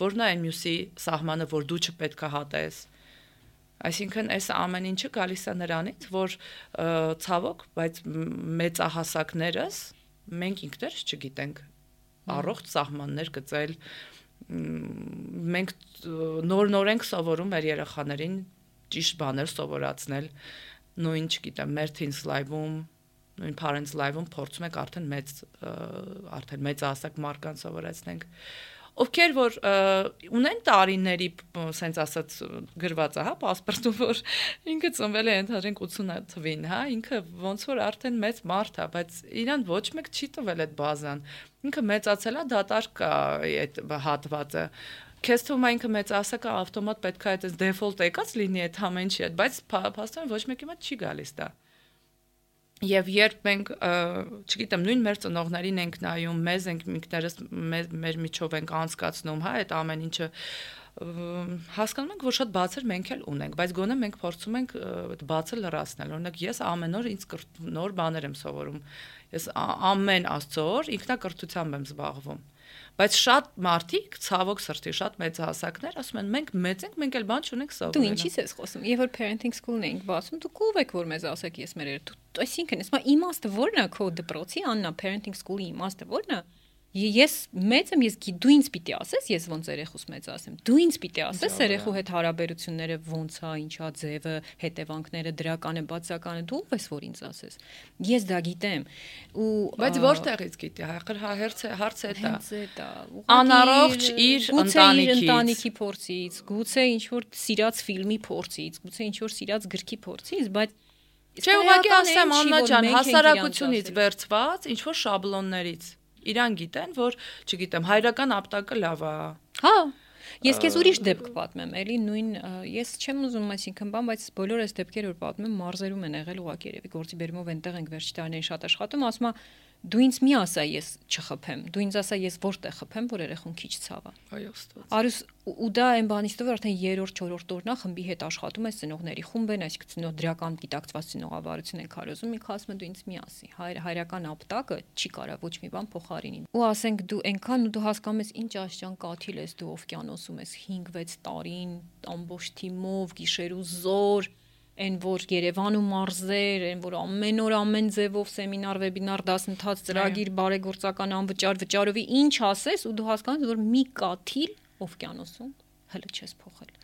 որն է այն մյուսի սահմանը, որ դու չպետք է հատես։ Այսինքն այս ամեն ինչը գալիս է նրանից, որ ցավոք, բայց մեծահասակներս մենք ինքներս չգիտենք առողջ սահմաններ գծել, մենք նոր ենք սովորում մեր երեխաներին ճիշտ բաներ սովորացնել, նույն չգիտեմ, մեր Teens Live-ում, նույն Parents Live-ում փորձում ենք արդեն մեծահասակ մարդկանց սովորեցնենք, ովքեր որ ունեն տարիների, սենց ասած գրված է, հա, պասպորտում, որ ինքը ծնվել է ընդհանրենք 80 թվին, հա, ինքը ոնց որ արդեն մեծ մարդ է, բայց իրան ոչ մեկ չի տվել այդ բազան, ինքը մեծացել է, դատարկ է այդ հատվածը, քեզ թվում է ինքը մեծահասակ է, ավտոմատ պետք է այդ default եկած լինի այդ ամեն ինչի հետ, բայց փաստորեն ոչ մեկի մոտ չի գալիս դա։ Եվ երբ մենք, չգիտեմ, նույն մեր ծնողներին ենք նայում, մեզ ենք ինքներս մեր միջով ենք անցկացնում, հա, այդ ամեն ինչը հասկանում ենք, որ շատ բացեր մենք էլ ունենք, բայց գոնե մենք փորձում ենք բացը լրացնել։ Օրինակ ես ամեն օր ինձ նոր բաներ եմ սովորում։ Ես ամեն Աստծո օր ինքնակրթությամբ եմ զբաղվում։ Բայց շատ մարդիկ, ցավոք սրտի, շատ մեծահասակներ ասում են, մենք մեծ ենք, մենք էլ բան չունենք սովորել։ Դու ինչի՞ց ես խոսում։ Երբ որ parenting school-ն էինք բացում, դու կով եք որ մեզ ասեք, ես մեր այսինքն, ասма իմաստը ո՞րն է քո դպրոցի, Աննա, parenting school-ի իմաստը ո՞րն է։ Ես մեծ եմ, դու ինձ պիտի ասես, ես ոնց երեխուս մեծ ասեմ։ Դու ինձ պիտի ասես երեխու հետ հարաբերությունները ոնց է, ինչա ձևը, հետևանքները, դրական է, բացական է, դու ով ես որ ինձ ասես։ Ես դա գիտեմ։ Բայց որտեղից գիտի, հարցը դա։ Անառողջ իր ընտանիքի փորձից, գուցե ինչ որ սիրած ֆիլմի փորձից, գուցե ինչ որ սիրած գրքի փորձից, բայց Չէ, ուղղակի ասեմ Աննա ջան, հասարակությունից վերցված ինչ որ շաբլոններից իրան գիտեն, որ, չգիտեմ, հայրական ապտակը լավ է։ Հա, ես քեզ ուրիշ դեպք պատմեմ, էլի նույն ես չեմ ուզում այսինքն բան, բայց բոլոր այս դեպքերը որ պատմեմ մարզերում են եղել ուղղակի երևի գործի բերումով այնտեղ ենք վերջի տարիներին շատ աշխատում, ասում եմ դու ինձ մի ասա ես չխփեմ, դու ինձ ասա ես որտեղ խփեմ, որ երեխուն քիչ ցավա։ Այո, ստոց։ Արուս ու դա այն բանից դեռ արդեն 3-րդ, 4-րդ օրնա խմբի հետ աշխատում ես ծնողների խումբ են, այսինքն ծնող դրական դիտակցված ծնողավարություն են քարոզում, մի ասում են դու ինձ մի ասի, հայրական ապտակը չի կարա ոչ մի բան փոխարինի։ Ու ասենք դու այնքան ու դու հասկանում ես ինչ աշճան կաթիլ ես դու օվկիանոսում ես 5-6 տարին ամբողջ թիմով գիշեր ու զոր Այն որ Երևան ու մարզեր, այն որ ամեն օր ամեն ձևով սեմինար, վեբինար, դասընթաց, ծրագիր, բարեգործական անվճար, վճարովի ինչ ասես ու դու հասկանաս, որ մի կաթիլ օվկիանոսում հələ չես փոխել։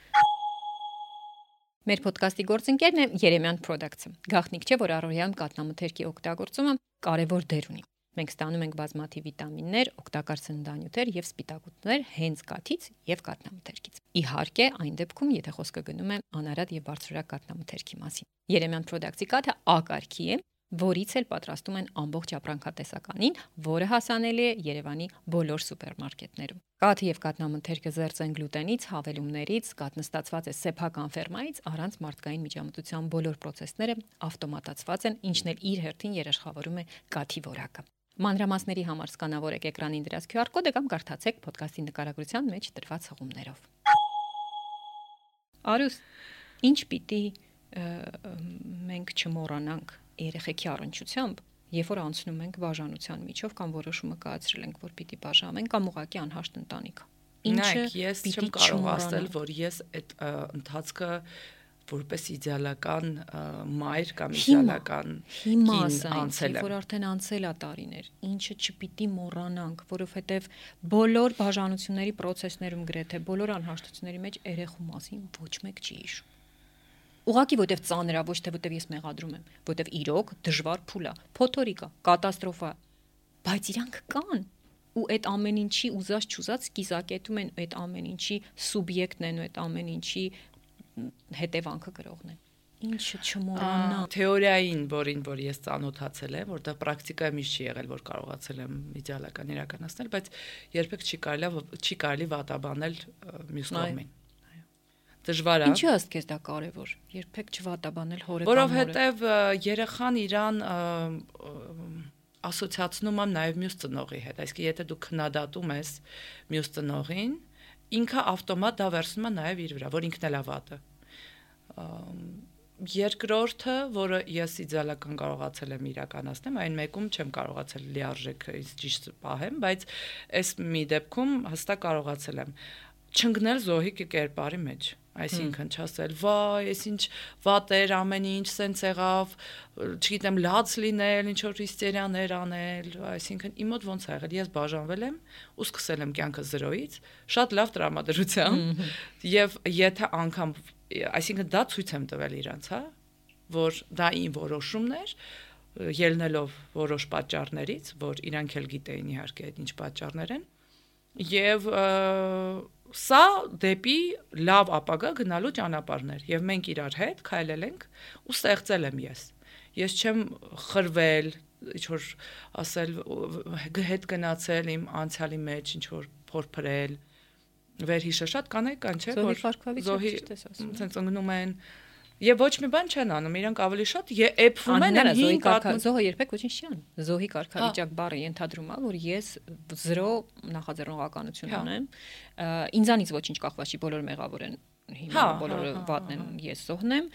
Մեր ոդկասթի գործընկերն է Երեմյան Products-ը։ Գաղտնիք չէ, որ առօրյայում կաթնամթերքի օգտագործումը կարևոր դեր ունի։ Մենք ստանում ենք բազմաթիվ վիտամիններ, օգտակար սննդանյութեր եւ սպիտակուցներ հենց կաթից եւ կաթնամթերքից։ Իհարկե, այն դեպքում, եթե խոսքը գնում է անարատ եւ բարձրորակ կաթնամթերքի մասին։ Երեմյան Products-ի կաթը ակարգի է, որից էլ պատրաստում են ամբողջ ապրանքատեսականին, որը հասանելի է Երևանի բոլոր սուպերմարկետներում։ Կաթը եւ կաթնամթերքը զերծ են գլուտենից, հավելումներից, կաթնստացված է սեփական ֆերմայից, առանց մարդկային միջամտության բոլոր process-ները ավտոմատացված են, ինչն էլ իր հերթին երաշխավորում է կաթի որակը։ Մանրամասների համար սկանավորեք էկրանին դրած QR կոդը կամ կարդացեք ոդկասթի նկարագրության մեջ տրված հղումներով։ Արուս, ինչ պիտի մենք չմոռանանք երեխեքի առնչությամբ, երբ որ անցնում ենք բաժանության միջով կամ որոշումը կայացրել ենք, որ պիտի բաժանվենք կամ ուղղակի անհաշտ ընտանիք։ Ինչը ես չեմ կարող ասել, որ ես այդ ընթացքը որպես իդեալական մայր կամ իդեալական կին անցել եմ, որ արդեն անցել է տարիներ, ինչը չպիտի մոռանանք, որովհետև բոլոր բաժանությունների process-ներում գրեթե բոլոր անհաշտությունների մեջ երեխու մասին ոչ մեկ չի հիշում։ Ուղղակի որտեվ ծանր է, ոչ թե որտեվ ես մեղադրում եմ, որտեվ իրոք դժվար փուլ է, փոթորիկ է, կատաստրոֆա, բայց իրանք կան ու այդ ամեն ինչի ուզած չուզած կիզակետում են, այդ ամեն ինչի սուբյեկտն են ու այդ ամեն ինչի հետևանքը գրողն են։ Ինչը չմոռանա։ Թեորիային, որ ես ծանոթացել եմ, որտեղ պրակտիկայում ինչ չի եղել, որ կարողացել եմ իդեալական իրականացնել, բայց երբեք չի կարելի վատաբանել մյուս կողմին։ Դժվար է։ Ինչի աստ քեզ դա կարևոր։ Երբեք չվատաբանել հորը կամ հորը։ Որովհետև երեխան իրան ասոցիացնում եմ նաև մյուս ծնողի հետ, այսինքն եթե դու քննադատում ես մյուս ծնողին, ինքը ավտոմատ դա վերցնում է նաև իր վրա, որ ինքն էլ է վատը։ Երկրորդը, որը ես իդեալական կարողացել եմ իրականացնել, այն մեկում չեմ կարողացել լիարժեք ճիշտ պահեմ, բայց այս մի դեպքում հստակ կարողացել եմ չընկնել զոհի կերպարի մեջ։ Այսինքն չասել, վայ, այս ինչ վատ էր, ամեն ինչ սենց եղավ, չգիտեմ, լաց լինել, ինչ որ հիստերիաներ անել, այսինքն իմ մոտ ոնց ա եղել, ես բաժանվել եմ ու սկսել եմ կյանքը 0-ից, շատ լավ տրամադրությամբ, եւ եթե անգամ, այսինքն դա ցույց եմ տվել իրանց, հա, որ դա իմ որոշումն էր, ելնելով որոշ պատճառներից, որ իրանք էլ գիտեին իհարկե այդ ինչ պատճառներ են, եւ սա դեպի լավ ապագա գնալու ճանապարհներ եւ մենք իրար հետ քայլել ենք ու ստեղծել եմ ես չեմ խրվել ինչ որ ասել հետ գնացել իմ անցյալի մեջ ինչ որ փորփրել վերհիշը շատ կանայք կան չէ որ զոհի sense ընկնում են եւ ոչ մի բան չեն անում իրանք ավելի շատ էփվում են զոհի կարգավիճակ զոհը երբեք ոչինչ չի անում զոհի կարգավիճակ բառը ենթադրում է որ ես 0 նախաձեռնողականություն ունեմ ինձանից ոչինչ կախված չի բոլոր մեղավոր են հիմա բոլորը վատն են ես զոհն եմ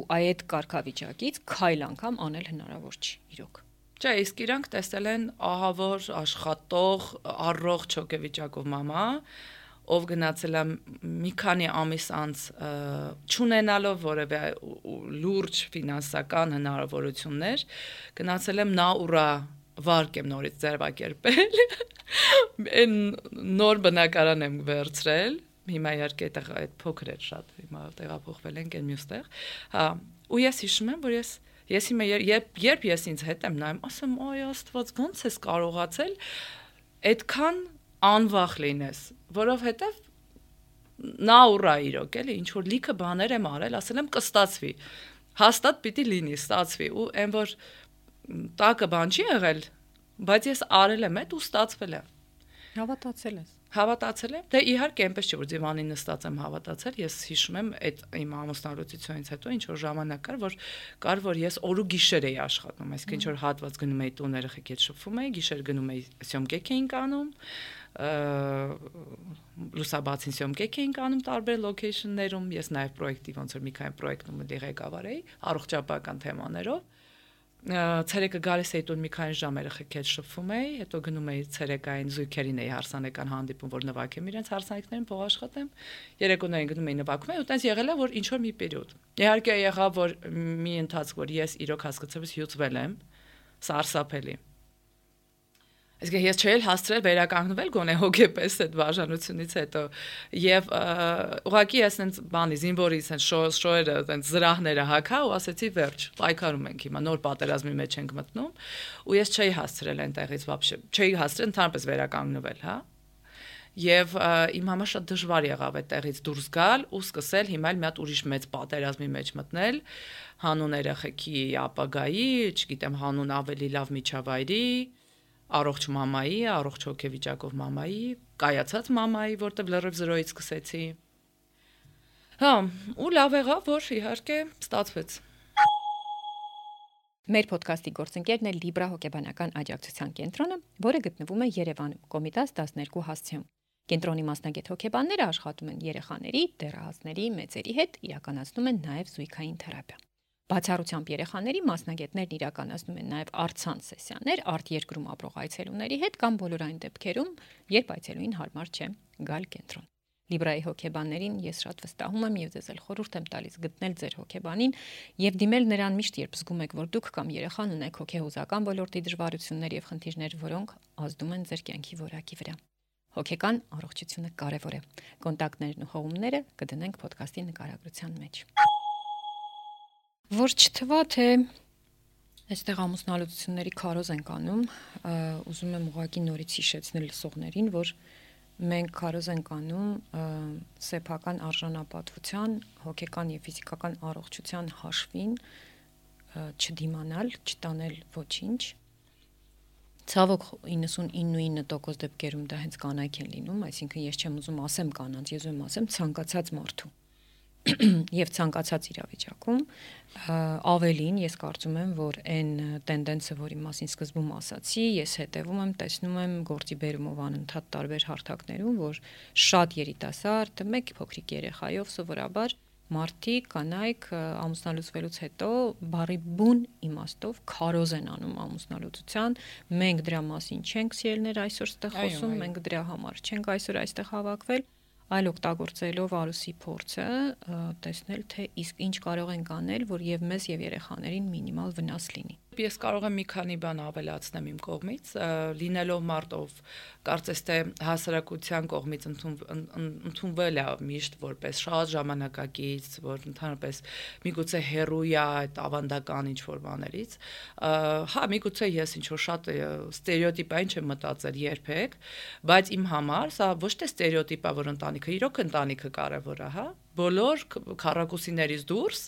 ու այդ կարգավիճակից քայլ անգամ անել հնարավոր չի իրոք չէ իսկ իրանք տեսել են ահավոր աշխատող առողջ հոգեվիճակով մամա ով գնացել է մի քանի ամիս անց չունենալով որևէ լուրջ ֆինանսական հնարավորություններ գնացել եմ նա ուրա վարկ եմ նորից ձևակերպել, այն նոր բնակարան եմ վերցրել, հիմա իհարկե այդ փոքր էր շատ, հիմա տեղափոխվել ենք այն մյուստեղ, հա, ու ես հիշում եմ, որ ես հիմա երբ ես ինձ հետ եմ նայում, ասում, «Ոյ Աստված, ո՞նց ես կարողացել այդքան անվախ լինես», որովհետև նա ուրա իրոք, էլի, ինչ որ լիքը բաներ եմ արել, ասել եմ կստացվի, հաստատ պիտի լինի, ստացվի, ու այն որ տակը բան չի եղել, բայց ես արել եմ այդ ու ստացվել է։ Հավատացել ես։ Հավատացել եմ։ Դե իհարկե այնպես չէ, որ դիվանին նստած եմ հավատացել, ես հիշում եմ այդ իմ ամուսնալուծությունից հետո ինչ որ ժամանակ կար, որ ես օր ու գիշեր էի աշխատում, այսինքն ինչ որ հատված գնում էի տուն երեխեք հետ շփվում էի, գիշեր գնում էի սյոմկեկ էինք անում, լուսաբացին սյոմկեկ էինք անում տարբեր լոքեյշններում, ես նաև պրոյեկտի ոնց որ մի քանի պրոյեկտում ղեկավար էի, առողջապահական թեմաներով։ Ցերեկը գալիս էի տուն մի քանի ժամ երեխեք հետ շփվում էի, հետո գնում էի ցերեկային զույգերին էի հարսանեկան հանդիպում, որ նվագեմ իրենց հարսանեկներին, փող աշխատեմ։ Երեկոներին գնում էի նվագում էի, ու տենց եղել է, որ ինչ որ մի պերիոդ։ Իհարկե եղավ, որ մի ընթացք, որ ես իրոք հասկացա, որ հյուծվել եմ, սարսափելի։ Իսկ ես չէի հասցրել վերականգնվել գոնե հոգեպես այդ բաժանությունից հետո եւ ուղղակի ես այնց բանի զինվորից այն շոյերը այնց զրահները հակա ու ասեցի վերջ պայքարում ենք հիմա նոր պատերազմի մեջ ենք մտնում ու ես չէի հասցրել այնտեղից вообще չէի հասցրել ընդհանրապես վերականգնվել, հա եւ իմ համար շատ դժվար եղավ այդտեղից դուրս գալ ու սկսել հիմա էլ մի հատ ուրիշ մեծ պատերազմի մեջ մտնել հանուն երեխեքի ապագայի, չգիտեմ, հանուն ավելի լավ միջավայրի առողջ մամայի, առողջ հոգեվիճակով մամայի, կայացած մամայի, որտեղ լրիվ զրոյից սկսեցի։ Հա, ու լավ եղավ, որ իհարկե ստացվեց։ Մեր ոդքասթի գործընկերն է Libra հոգեբանական աջակցության կենտրոնը, որը գտնվում է Երևանում, Կոմիտաս 12 հասցեում։ Կենտրոնի մասնագետ հոգեբանները աշխատում են երեխաների, դեռահասների, մեծերի հետ, իրականացնում են նաև զույգային թերապիա։ Բացառությամբ երեխաների մասնագետներն իրականացնում են նաև առցանց սեսիաներ արտերկրում ապրող այցելուների հետ կամ բոլոր այն դեպքերում, երբ այցելուին հարմար չէ գալ կենտրոն։ Libra-ի հոգեբաններին ես շատ վստահում եմ եւ ձեզ էլ խորհուրդ եմ տալիս գտնել ձեր հոգեբանին եւ դիմել նրան միշտ, երբ զգում եք, որ դուք կամ երեխան ունեք հոգեհուզական ոլորտի դժվարություններ եւ խնդիրներ, որոնք ազդում են ձեր կյանքի որակի վրա։ Հոգեկան առողջությունը կարեւոր է։ Կոնտակտներն ու հողումները կդնենք ոդքասթի նկարագրության մեջ։ Որ չթվա թե այստեղ ամուսնալուծությունների քարոզ ենք անում, ուզում եմ ուղղակի նորից հիշեցնել լսողներին, որ մենք քարոզ ենք անում սեփական արժանապատվության, հոգեկան եւ ֆիզիկական առողջության հաշվին չդիմանալ, չտանել ոչինչ։ Ցավոք 99% դեպքերում դա հենց կանայք են լինում, այսինքն ես չեմ ուզում ասեմ կանանց, ես ուզում ասեմ ցանկացած մարդու եւ ցանկացած իրավիճակում ավելին ես կարծում եմ, որ այն տենդենսը, որի մասին սկզբում ասացի, ես հետևում եմ, տեսնում եմ գործի բերումով անընդհատ տարբեր հարթակներում, որ շատ երիտասարդ, մեկ փոքրիկ երեխայով սովորաբար մարդիկ, կանայք ամուսնալուծվելուց հետո բարի բուն իմաստով քարոզ են անում ամուսնալուծության, մենք դրա մասին չենք սիրելներ այսօր ստեղ խոսում, մենք դրա համար չենք այսօր այստեղ հավաքվել, այլ օգտագործելով արուսի փորձը տեսնել, թե իսկ ինչ կարող ենք անել, որ եւ մեզ եւ երեխաներին մինիմալ վնաս լինի։ Ես կարող եմ մի քանի բան ավելացնեմ իմ կողմից, լինելով մարդով, կարծես թե հասարակության կողմից ընդունվել է միշտ որպես շատ ժամանակակից, որ ընդհանրապես միգուցե հերույա այդ ավանդական ինչ-որ բաներից, հա, միգուցե ես ինչ-որ շատ ստերեոտիպային չեմ մտածել երբեք, բայց իմ համար սա ոչ թե ստերեոտիպ է, որ ընտանիքը, իրոք ընտանիքը կարևոր է, հա, բոլոր քառակուսիներից դուրս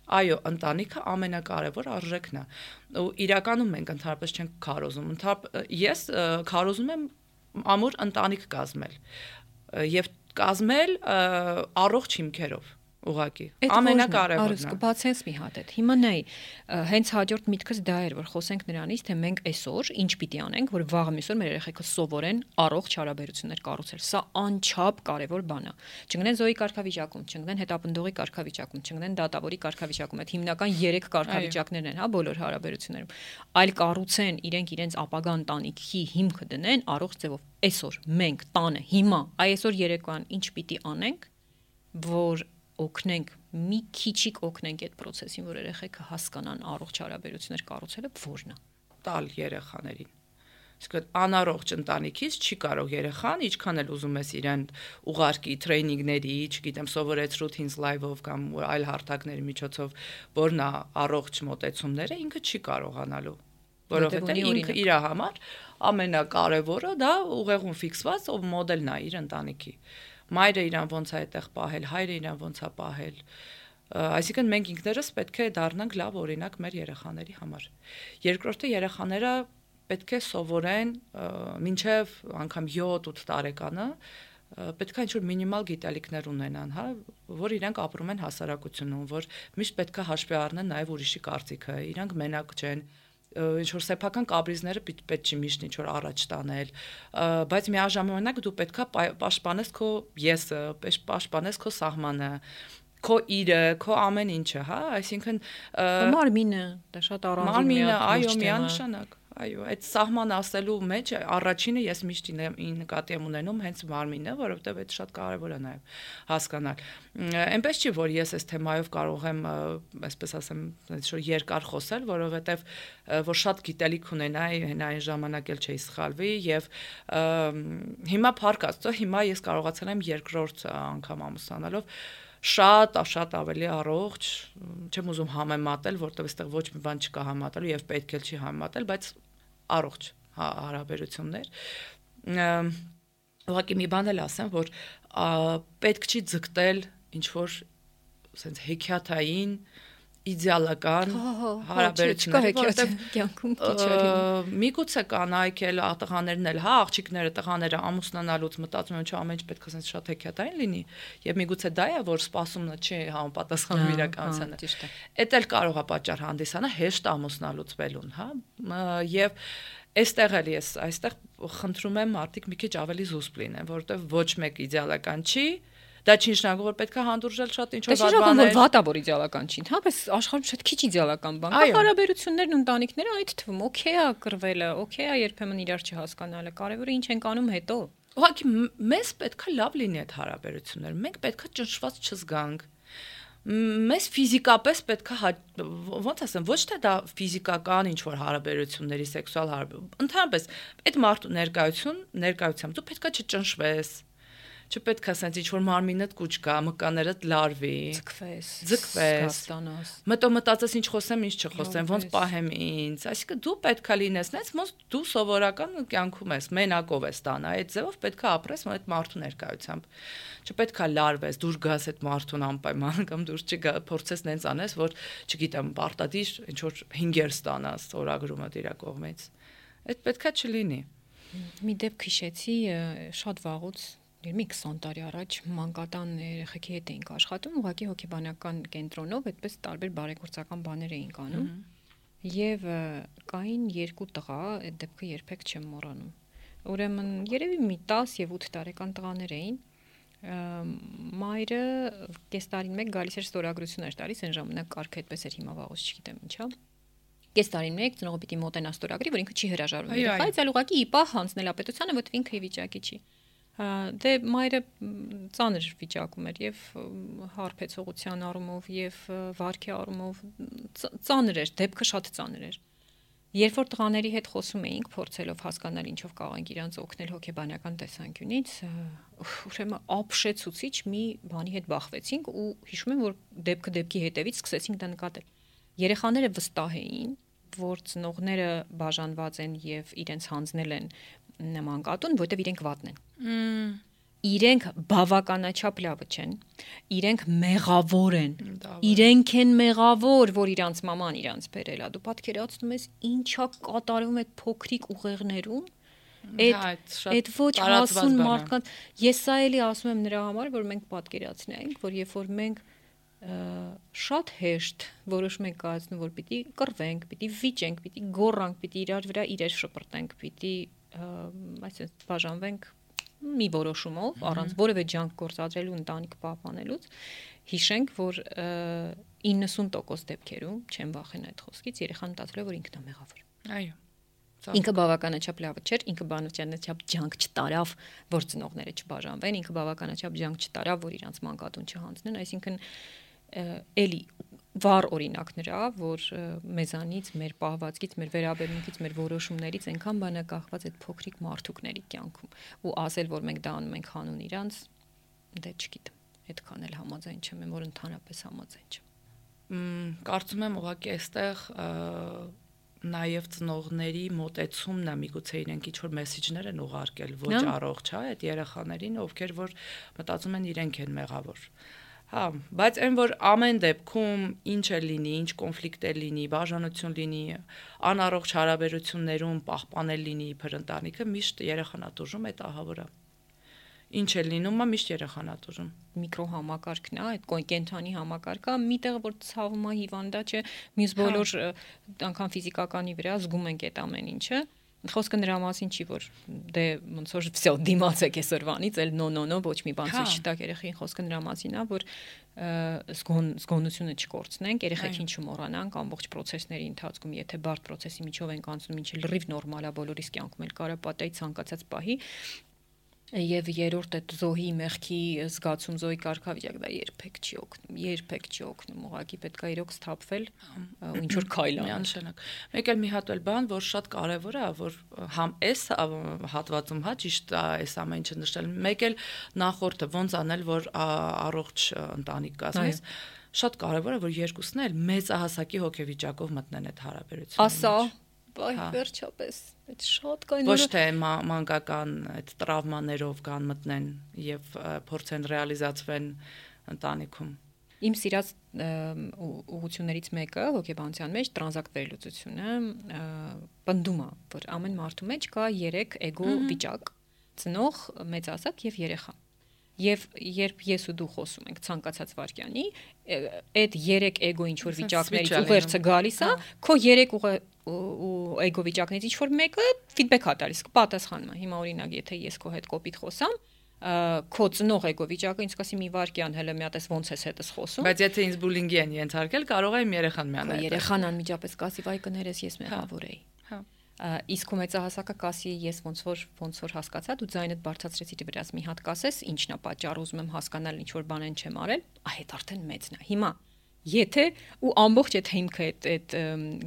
այո, ընտանիքը ամենակարևոր արժեքն է։ Ու իրականում մենք ընդհանրապես չենք քարոզում։ Ես քարոզում եմ ամուր ընտանիք կազմել եւ կազմել առողջ հիմքերով։ Ուղղակի ամենակարևորն է։ Կբացես մի հատ այդ։ Հիմա նայ, հենց հաջորդ միտքս դա էր, որ խոսենք նրանից, թե մենք այսօր ինչ պիտի անենք, որ վաղը մյուսօր մեր երեխեքը սովորեն առողջ հարաբերություններ կառուցել։ Սա անչափ կարևոր բան է։ Չգնեն զոյի կարգավիճակում, չգնեն հետապնդողի կարգավիճակում, չգնեն դատավորի կարգավիճակում։ Այդ հիմնական 3 կարգավիճակներն են, հա, բոլոր հարաբերություններում։ Այլ կառուցեն իրենց ապագա ընտանիքի հիմքը դնեն առողջ ձևով։ Այսօր մենք տանը հիմա այսօր երեկոյան ինչ պիտի անենք, որ օգնենք մի քիչիկ օգնենք այդ process-ին, որ երեխեքը հասկանան առողջ հարաբերություններ կառուցելը որն է։ տալ երեխաներին։ Իսկ անառողջ ընտանիքից չի կարող երեխան, ինչքան էլ ուզում ես իրեն ուղարկի տրեյնինգների, չգիտեմ, սովորեցրու Teens Live-ով կամ այլ հարթակների միջոցով, որ նա առողջ մոտեցումները ինքը չի կարողանալու, որովհետև ինքը իր համար ամենակարևորը դա ուղեղում ֆիքսված ով մոդելն է իր ընտանիքի։ Մայրը իրան ոնց է այդտեղ պահել, հայրը իրան ոնց է պահել։ Այսինքն մենք ինքներս պետք է դառնանք լավ օրինակ մեր երեխաների համար։ Երկրորդը երեխաները պետք է սովորեն մինչև անգամ 7-8 տարեկանը պետք է ինչ-որ մինիմալ գիտելիքներ ունենան, հա, որ իրանք ապրում են հասարակությունում, որ միշտ պետք է հաշվի առնեն նաև ուրիշի կարծիքը, իրանք մենակ չեն, ինչ-որ սեփական կապրիզները պետք չի միշտ ինչ-որ առաջ տանել, բայց միաժամանակ դու պետք է պաշտպանես քո եսը, պաշտպանես քո սահմանը, քո իրը, քո ամեն ինչը, հա, այսինքն մարմինը, դա շատ առանձին միանշանակ Այո, այդ սահման ասելու մեջ առաջինը ես միշտ նկատի եմ ունենում հենց մարմինը, որովհետև այդ շատ կարևոր է նաև հասկանալ։ Այնպես չի, որ ես այս թեմայով կարող եմ, այսպես ասեմ, ինչ-որ երկար խոսել, որովհետև որ շատ գիտելիք ունենայի, այն ժամանակ էլ չէի սխալվի եւ հիմա փառք Աստծո, հիմա ես կարողացել եմ երկրորդ անգամ ամուսնանալով շատ ավելի առողջ, չեմ ուզում համեմատել, որտեղ այստեղ ոչ մի բան չկա համատելու եւ պետք էլ չի համեմատել, բայց առողջ հարաբերություններ։ Ուղղակի մի բան էլ ասեմ, որ պետք չի ձգտել ինչ որ ասենց հեքիաթային իդեալական հարաբերություններ, որտեղ կյանքում քիչ արի։ Միգուցե կանայք էլ տղաներն էլ, հա, աղջիկները, տղաները ամուսնանալուց մտածում են, չէ, ամեն ինչ պետք է ասենց շատ հեքիաթային լինի, եւ միգուցե դա է, որ սպասումն չի համապատասխանում իրականությանը։ Էդ էլ կարող է պատճառ հանդիսանա հեշտ ամուսնալուց բելուն, հա, եւ այստեղ էլ ես այստեղ խնդրում եմ մարդիկ մի քիչ ավելի զուսպ լինեն, որովհետեւ ոչ մեկ իդեալական չի։ Դա չի նշանակում, որ պետք է հանդուրժել շատ ինչ-որ վատ բաներ։ Դա վատա որ իդեալական չի, հապես աշխարհում շատ քիչ իդեալական բան կա։ Հարաբերություններն ու ընտանիքները այդ թվում օքեյ է կռվելը, օքեյ է երբեմն իրար չհասկանալը, կարևորը ինչ ենք անում հետո։ Ուղղակի մեզ պետք է լավ լինի այդ հարաբերությունները։ Մենք պետք է ճնշված չզգանք։ Մեզ ֆիզիկապես պետք է ոնց ասեմ, ոչ թե դա ֆիզիկական ինչ-որ հարաբերությունների սեքսուալ ընդհանրապես այդ մարդու ներկայությամբ դու պետք է չճնշվես։ Չպետք է ասենց ինչ-որ մարմինդ կուչ գա, մկաներդ լարվի, ձգվես, մտածես ինչ խոսեմ, ինչ չխոսեմ, ոնց պահեմ ինձ, այսինքն դու պետք է լինես, ոնց դու սովորական կյանքում ես, մենակով ես տանը, այդ ձևով պետք է ապրես այդ մարդու ներկայությամբ, չպետք է լարվես, դուրս գաս այդ մարդուն անպայման կամ դուրս չփորձես նենց անես, որ չգիտեմ, պարտադիր ինչ-որ 5 ստանաս օրագրումը դիրա կողմից, այդ պետք է չլինի։ Մի դեպք հիշեցի շատ վաղուց մի 20 տարի առաջ մանկատան երեխեքի հետ էինք աշխատում, ուղղակի հոգեբանական կենտրոնով այդպես տարբեր բարեգործական բաներ էինք անում։ Եվ կային 2 տղա, այդ դեպքը երբեք չեմ մոռանում։ Ուրեմն երևի մի 10 եւ 8 տարեկան տղաներ էին։ Մայրը կես տարին մեկ գալիս էր ստորագրություններ տալիս, այն ժամանակ կարգը այդպես էր, հիմա վաղուց չգիտեմ ինչա։ Կես տարին մեկ ծնողը պիտի մոտենա ստորագրի, որ ինքը չի հրաժարվում երեխայից, այլ ուղղակի իպահ հանձնել ապետությանը, որտեղ ինքը ի վիճակի չի։ Դե մայրը ծանր վիճակում էր եւ հարբեցողության առումով եւ վարքի առումով ծանր էր, դեպքը շատ ծանր էր։ Երբ որ տղաների հետ խոսում էինք, փորձելով հասկանալ ինչով կարող ենք իրանց օգնել հոգեբանական տեսանկյունից, ուրեմն ապշեցուցիչ մի բանի հետ բախվեցինք ու հիշում եմ, որ դեպքը դեպքի հետևից սկսեցինք դա նկատել։ Երեխաները վստահ էին, որ ծնողները բաժանված են եւ իրենց հանձնել են մանկատուն, որտեվ իրենք վատն են։ Իրենք բավականաչափ լավը չեն, իրենք մեղավոր են, իրենք են մեղավոր, որ իրանց մաման իրանց բերել է։ Դու պատկերացնում ես ինչա կատարվում այդ փոքրիկ ուղեղներում, այդ ոչ հասուն մարդկանց։ Ես սա էլի ասում եմ նրա համար, որ մենք պատկերացնենք, որ երբ որ մենք շատ հեշտ որոշում ենք կայացնում, որ պիտի կռվենք, պիտի վիճենք, պիտի գոռանք, պիտի իրար վրա իրեր շպրտենք, պիտի այսինքն բաժանվենք մի որոշումով, առանց որևէ ջանք գործադրելու ընտանիք պահպանելուց, հիշենք, որ 90% դեպքերում, չեմ վախենա այդ խոսքից, երեխան մտածել է, որ ինքն է մեղավոր։ Այո։ Ինքը բավականաչափ լավը չէր, ինքը բավականաչափ ջանք չտարավ, որ ծնողները չբաժանվեն, ինքը բավականաչափ ջանք չտարավ, որ իրանց մանկատուն չհանձնեն, այսինքն էլի վառ օրինակներ ա, որ մեզանից, մեր պահվածքից, մեր վերաբերմունքից, մեր որոշումներից այնքան բան է կախված այդ փոքրիկ մարդուկների կյանքում ու ասել, որ մենք դա անում ենք հանուն իրանց, դե չգիտեմ, այդքան էլ համաձայն չեմ, որ ընդհանրապես համաձայն չեմ։ Կարծում եմ ուղղակի այստեղ նաև ծնողների մոտեցումն է միգուցե իրենք ինչ որ մեսեջներ են ուղարկել ոչ առողջ, հա, այդ երեխաներին, ովքեր որ մտածում են իրենք են մեղավոր։ Հա, բայց այն որ ամեն դեպքում ինչ է լինի, ինչ կոնֆլիկտ է լինի, բաժանություն լինի, անառողջ հարաբերություններում պահպանել լինի իբր ընտանիքը, միշտ երեխան ատուժում այդ ահավորը։ Ինչ է լինում, միշտ երեխան ատուժում։ Միկրոհամակարգն է, այդ կենթանի համակարգը, միտեղ որ ցավում է հիվանդա չէ, մյուս բոլոր անգամ ֆիզիկականի վրա զգում ենք այդ ամեն ինչը։ Խոսքը նրա մասին չի, որ դե ոնց որ վсё դիմացեք այսօրվանից, էլ նո, ոչ մի բան ցույց չտաք երեխային, խոսքը նրա մասին է, որ զգոնությունը չկորցնենք, երեխեքին չմոռանանք ամբողջ process-ների ընթացքում, եթե բարդ process-ի միջով ենք անցնում, ինչը լրիվ նորմալ է, բոլորիս կյանքում էլ կարա պատահի ցանկացած պահի, եւ երրորդ այդ զոհի մեղքի զգացում, զոհի կարգավիճակ դա երբեք չի օգնում, ուղղակի պետք է իրոք սթափվել ու ինչ որ քայլ անել։ Միանշանակ։ Մեկ էլ մի հատ էլ բան, որ շատ կարեւոր է, որ համ էս հատվածում հա ճիշտ է այս ամեն ինչը նշել, մեկ էլ նախորդը ոնց անել, որ առողջ ընտանիք կազմես, շատ կարեւոր է, որ երկուսն էլ մեծահասակի հոգեվիճակով մտնեն այդ հարաբերությունները։ Ասա Այ վերջապես, այդ շատ կային ոչ թե մանկական այդ տրավմաներով կան մտնեն եւ փորձեն ռեալիզացվեն ընտանիքում։ Իմ սիրած ուղղություններից մեկը հոգեբանության մեջ տրանզակտ վերլուծությունը պնդում է, որ ամեն մարդու մեջ կա 3 էգո վիճակ՝ ծնող, մեծահասակ եւ երեխա։ Եվ երբ ես ու դու խոսում ենք ցանկացած վարքյանի, այդ 3 էգո ինչ որ վիճակներից ուղերձը գալիս է, քո 3 էգո վիճակներից ինչ որ մեկը ֆիդբեք է տալիս, պատասխանում է։ Հիմա օրինակ, եթե ես քո հետ կոպիտ խոսամ, քո ծնող էգո վիճակը ինձ կասի մի վարքյան, հələ մի հատ էս ոնց ես հետս խոսում։ Բայց եթե ինձ բուլինգի են ենթարկել, կարող է իմ երեխան միանալ։ Երեխան անմիջապես կասի, վայ կներես, ես մեղավոր էի։ Հա։ Իսկ ու մեծահասակը կասի ես ոնց որ հասկացա, դու ձայնդ բարձրացրեցի դրած մի հատ կասես, ինչն է պատճառը, ուզում եմ հասկանալ ինչ որ բան են չեմ արել, այդ արդեն մեծն է։ Հիմա եթե ու ամբողջ այդ հիմքը այդ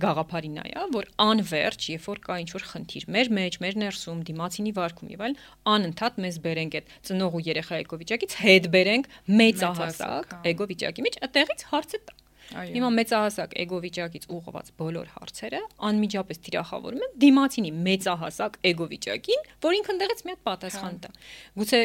գաղափարին է, որ անverջ, երբ որ կա ինչ որ խնդիր մեր մեջ, մեր ներսում, դիմացինի վարքում եւ այլն, անընդհատ մեզ բերենք այդ ծնող ու երեխա էգո վիճակից, հետ բերենք մեծահասակ էգո վիճակի մեջ, այդտեղից հարցը տա։ Հիմա մեծահասակ էգո վիճակից ուղղված բոլոր հարցերը անմիջապես թիրախավորում են դիմացինի մեծահասակ էգո վիճակին, որ ինքն ընդեղից մի հատ պատասխան տա։ Գուցե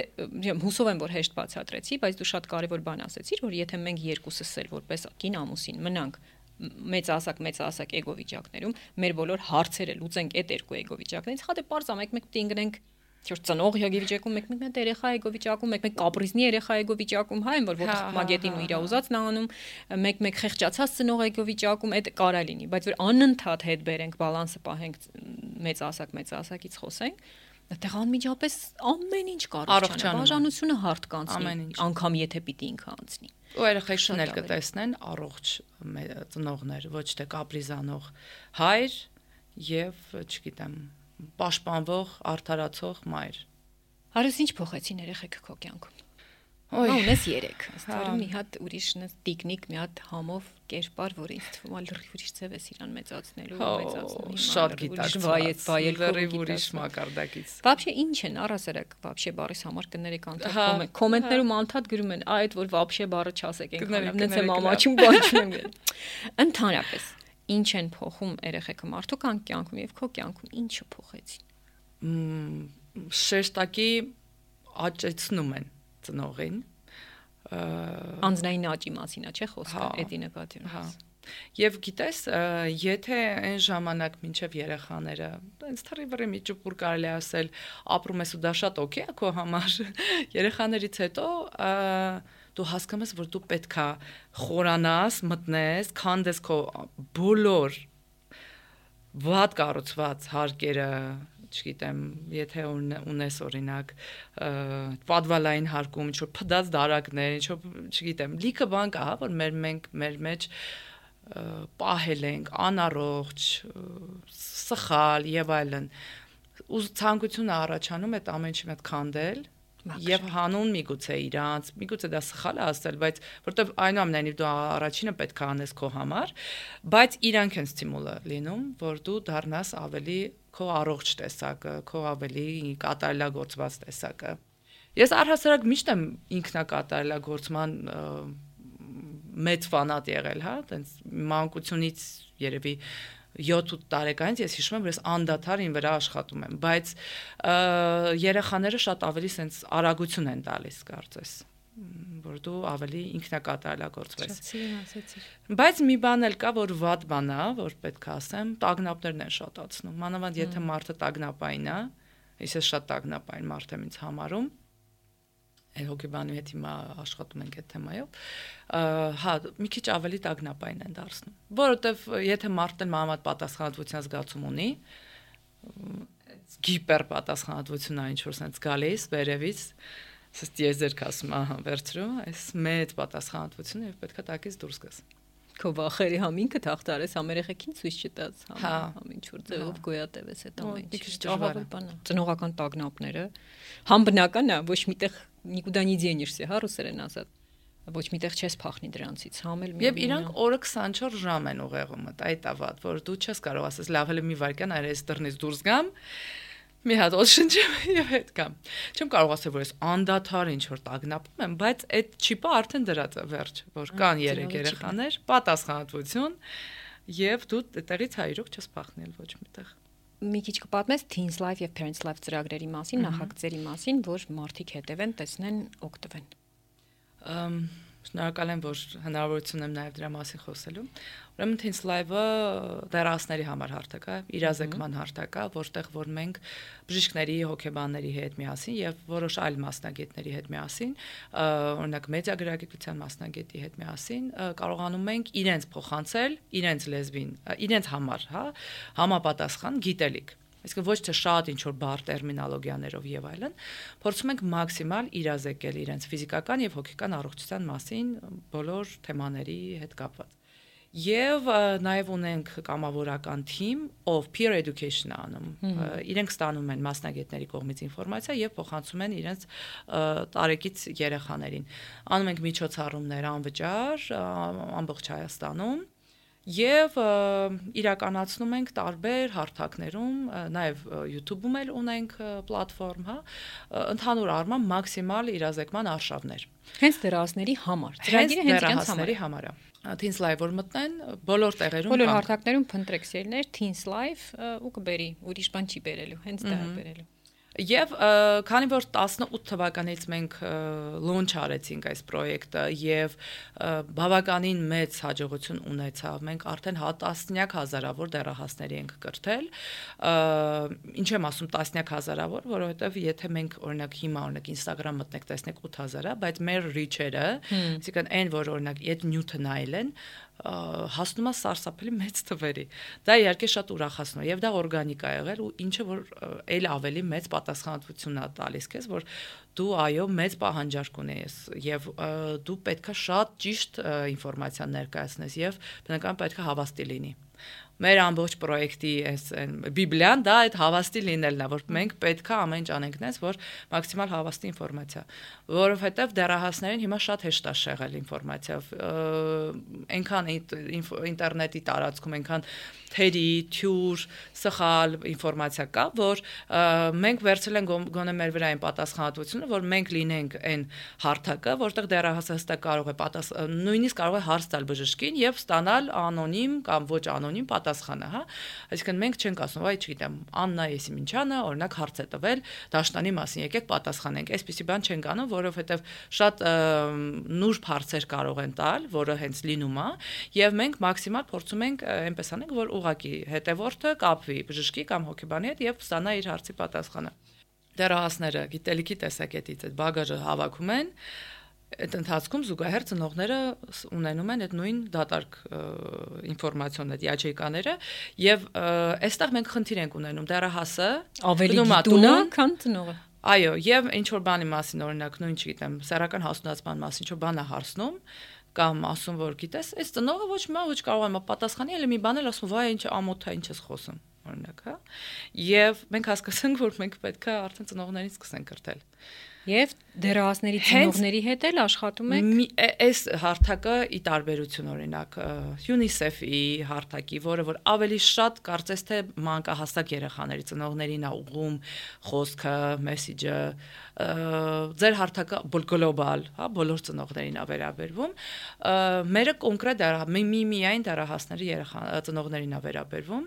հուսով եմ, որ հեշտ բացատրեցի, բայց դու շատ կարևոր բան ասացիր, որ եթե մենք երկուսս էլ որպես կին ամուսին մնանք մեծահասակ էգո վիճակներում, մեր բոլոր հարցերը լուծենք այդ երկու էգո վիճակներից, հա դե պարզ է, մեկ պետք է ընկնենք Չոր ծնող յոգի վիճակում մեկ երեխա էգո վիճակում, մեկ կապրիզնի երեխա էգո վիճակում, հա, այն որ մագետին ու իր ուզածն անում, մեկ խեղճացած ծնող էգո վիճակում, այդ կարա լինի, բայց որ անընդհատ հետ բերենք, բալանսը պահենք, մեծահասակից խոսենք, այդտեղ անմիջապես ամեն ինչ կառաջանա, բաժանությունը հարթ կանցնի, անգամ եթե պիտի ինքը անցնի։ Ու երեխեքն էլ կտեսնեն առողջ ծնողներ, ոչ թե կապրիզանող հայր եւ, չգիտեմ, պաշտպանվող, արդարացող մայր։ Հարուս ինչ փոխեցին երեխեքը քո կյանքում։ Ունես 3, աստարու մի հատ ուրիշ տիկնիկ, մի հատ համով կերպար, որ ինձ թվում է լրիվ ուրիշ ձև ես իրան մեծացնելու, մեծացնում։ Շատ գիտակցված, լրիվ ուրիշ մակարդակից։ Вообще ինչ են առասարակ, вообще բառից համար կներեք անդադար կոմենտներում անդադար գրում են, այդ որ вообще բառը չասեք, այնքան նենց եմ ամաչում բան չունեմ։ Ընդհանրապես ինչ են փոխում երեխեքը մարդու կյանքում եւ քո կյանքում ինչը փոխեցին։ Շեշտակի աճեցնում են ծնողին անձնային աճի մասին է, չէ՞ խոսքը, էդի նկատի ունես։ Եվ գիտես, եթե այն ժամանակ մինչև երեխաները, այնց թռիվրի մի ճուպուր կարելի ասել, ապրում ես ու դա շատ օքեյ է քո համար, երեխաներից հետո դու հասկանում ես, որ դու պետքա խորանաս, մտնես, քանդես քո բոլոր վատ կառուցված հարկերը, չգիտեմ, եթե ունես օրինակ պատվալային հարկում, ինչ որ փդած դարակներ, ինչ որ, չգիտեմ, լիքը բան կա, հա, որ մեր մեջ պահել ենք, անառողջ, սխալ եւ այլն։ Ու ցանկությունը առաջանում այդ ամեն ինչի հետ քանդել, եւ հանուն միգուցե իրանց, միգուցե դա սխալ է ասել, բայց որտեվ այնուամենայնիվ դու առաջինը պետք է անես քո համար, բայց իրանք են ստիմուլը լինում, որ դու դառնաս ավելի քո առողջ տեսակը, քո ավելի կատարելագործված տեսակը։ Ես առհասարակ միշտ եմ ինքնակատարելագործման մեծ ֆանատ եղել, հա, տենց մանկությունից երևի 7-8 տարեկանից ես հիշում եմ, որ ես անդադար ին վրա աշխատում եմ, բայց երեխաները շատ ավելի սենց արագություն են տալիս, կարծես, որ դու ավելի ինքնակատարելագործվես։ Բայց մի բան էլ կա, որ վատ բան է, որ պետք է ասեմ, տագնապներն են շատացնում։ Մանավանդ եթե մարդը տագնապային է, ես շատ տագնապային մարդ եմ ինձ համարում, Այն հոգեբանի հետ հիմա աշխատում ենք այդ թեմայով, հա, մի քիչ ավելի տագնապային են դարձնում, որովհետև եթե մարդն մանավանդ պատասխանատվության զգացում ունի, գիպեր պատասխանատվությունն այն ինչ-որ sense գալիս վերևից, սս դիեզերք ասում, ահա, վերցրու, այս մեծ պատասխանատվությունը եւ պետքա տակից դուրս գաս։ Քո վախերի համինքը թախտարես համերեխեքին ցույց չտաս, համին ինչ որ ձևով գոյատևես այդ ամեն ինչը։ Ծնողական տագնապները համ բնական է, ոչ միտեղ никуда не денешься, հա ռուսերեն ասած։ Ոչ միտեղ չես փախնի դրանցից, համ էլ մի։ Եվ իրանք օրը 24 ժամ են ուղեղում, այդ է վատ, որ դու չես կարող ասես լավ էլ մի վայրկյան այրես դռնից դուրս գամ, մի հատ օդ շնչեմ եւ հետ կամ։ Չեմ կարող ասել, որ ես անդադար ինչ որ տագնապում եմ, բայց այդ չիպը արդեն դրած է վերջ, որ կան 3 երեխաներ, պատասխանատվություն եւ դու այդտեղից հայրոք չես փախնել ոչ միտեղ։ Մի քիչ կպատմես Teens Life եւ Parents Life ծրագրերի մասին, նախագծերի մասին, որ մարդիկ հետևեն, տեսնեն, օգտվեն։ Շնորհակալ եմ, որ հնարավորություն եմ նաև դրա մասին խոսելու։ Ուրեմն Teens Live-ը դեռահասների համար հարթակ է, իրազեկման հարթակ է, որտեղ որ մենք բժիշկների, հոգեբանների հետ միասին եւ որոշ այլ մասնագետների հետ միասին, օրինակ մեդիագրագիտության մասնագետի հետ միասին կարողանում ենք իրենց փոխանցել, իրենց լեզվին, իրենց համար, հա, համապատասխան գիտելիք։ Այսինքն ոչ թե շատ ինչ որ բառ տերմինոլոգիաներով եւ այլն, փորձում ենք մաքսիմալ իրազեկել իրենց ֆիզիկական եւ հոգեկան առողջության մասին բոլոր թեմաների հետ կապված։ Եվ նաև ունենք կամավորական թիմ, ով peer education անում։ Իրենք ստանում են մասնագետների կողմից ինֆորմացիա եւ փոխանցում են իրենց տարեկից երեխաներին։ Անում ենք միջոցառումներ անվճար ամբողջ Հայաստանում։ Եվ իրականացնում ենք տարբեր հարթակներում, նաև YouTube-ում էլ ունենք պլատֆորմ, հա, ընդհանուր առմամբ մաքսիմալ իրազեկման արշավներ։ Հենց դեռահասների համար, ծրագիրը հենց դեռահասների համար է։ Teens Live որ մտնեն, բոլոր տեղերում բոլոր հարթակներում փնտրեք սերներ Teens Live ու կբերի, ուրիշ բան չի բերելու, հենց դա է բերելու։ Եվ քանի որ 18 թվականից մենք launch արեցինք այս պրոյեկտը եւ բավականին մեծ հաջողություն ունեցավ, մենք արդեն տասնյակ հազարավոր դեռահասների ենք կրթել, ինչ եմ ասում տասնյակ հազարավոր, որովհետեւ եթե մենք օրինակ հիմա օրինակ Instagram մտնեք տեսնեք 8000-ը, բայց մեր reach-երը, այսինքն այն որ օրինակ այդ նյութը նայել են, հասնում է սարսափելի մեծ թվերի։ Դա իհարկե շատ ուրախացնում է եւ դա օրգանիկ է եղել ու ինչը որ այլ ավելի մեծ պատասխանատվություն է տալիս քեզ, որ դու այո մեծ պահանջարկ ունես եւ դու պետքա շատ ճիշտ ինֆորմացիա ներկայացնես եւ բնականաբար պետքա հավաստի լինի։ Մեր ամբողջ պրոյեկտի այս բիբլիան դա այդ հավաստի լինելն է, որ մենք պետքա ամեն ինչ անենք նես, որ մաքսիմալ հավաստի ինֆորմացիա, որովհետև դեռահասներին հիմա շատ հեշտ է շեղել ինֆորմացիավ, այնքան ինտերնետի տարածքում, այնքան թերի, թյուր, սխալ ինֆորմացիա կա, որ մենք վերցրել ենք գոնե մեր վրա այն պատասխանատվությունը, որ մենք լինենք այն հարթակը, որտեղ դեռահասը հստակ կարող է նույնիսկ կարող է հարց տալ բժշկին եւ ստանալ անոնիմ կամ ոչ անոնիմ պատասխանը, հա։ Այսինքն մենք չենք ասում, այ չգիտեմ, Աննա Եսիմինչյանը օրինակ հարց է տվել դաշտանի մասին, եկեք պատասխանենք։ Այսպիսի բան չենք անում, որովհետեւ շատ նուրբ հարցեր կարող են տալ, որը հենց լինում է, եւ մենք մաքսիմալ փորձում ենք այնպես անենք, որ ուղղակի հետևորդը կապվի բժշկի կամ հոգեբանի հետ եւ ստանա իր հարցի պատասխանը։ Դեռահասները գիտելիքի տեսակետից այդ բագաժը հավաքում են, այդ ընթացքում զուգահեռ ծնողները ունենում են այդ նույն դատարկ ինֆորմացիոն այդ յաչեյկաները եւ այստեղ մենք խնդիր ենք ունենում դեռահասը ավելի գիտուն է, քան ծնողը։ Այո, եւ ինչ որ բանի մասին օրինակ նույն չգիտեմ, սեռական հասունացման մասին ինչ որ բան է հարցնում կամ ասում որ գիտես, այս ծնողը ոչ կարող է պատասխանի, այլ մի բան էլ ասում, վայ ինչ ամոթ է, ինչ ես խոսում, օրինակ, հա։ Եվ մենք հասկացանք, որ մենք պետք է արդեն ծնողներին սկսենք կրթել։ Եվ դերահասների ծնողների հետ էլ աշխատում եք։ Այս հարթակը ի տարբերություն օրինակ UNICEF-ի հարթակի, որ ավելի շատ կարծես թե մանկահասակ երեխաների ծնողներին է ուղղում խոսքը, մեսեջը, ձեր հարթակը գլոբալ, հա, բոլոր ծնողներին է վերաբերվում։ Մերը կոնկրետ միայն դերահասների ծնողներին է վերաբերվում,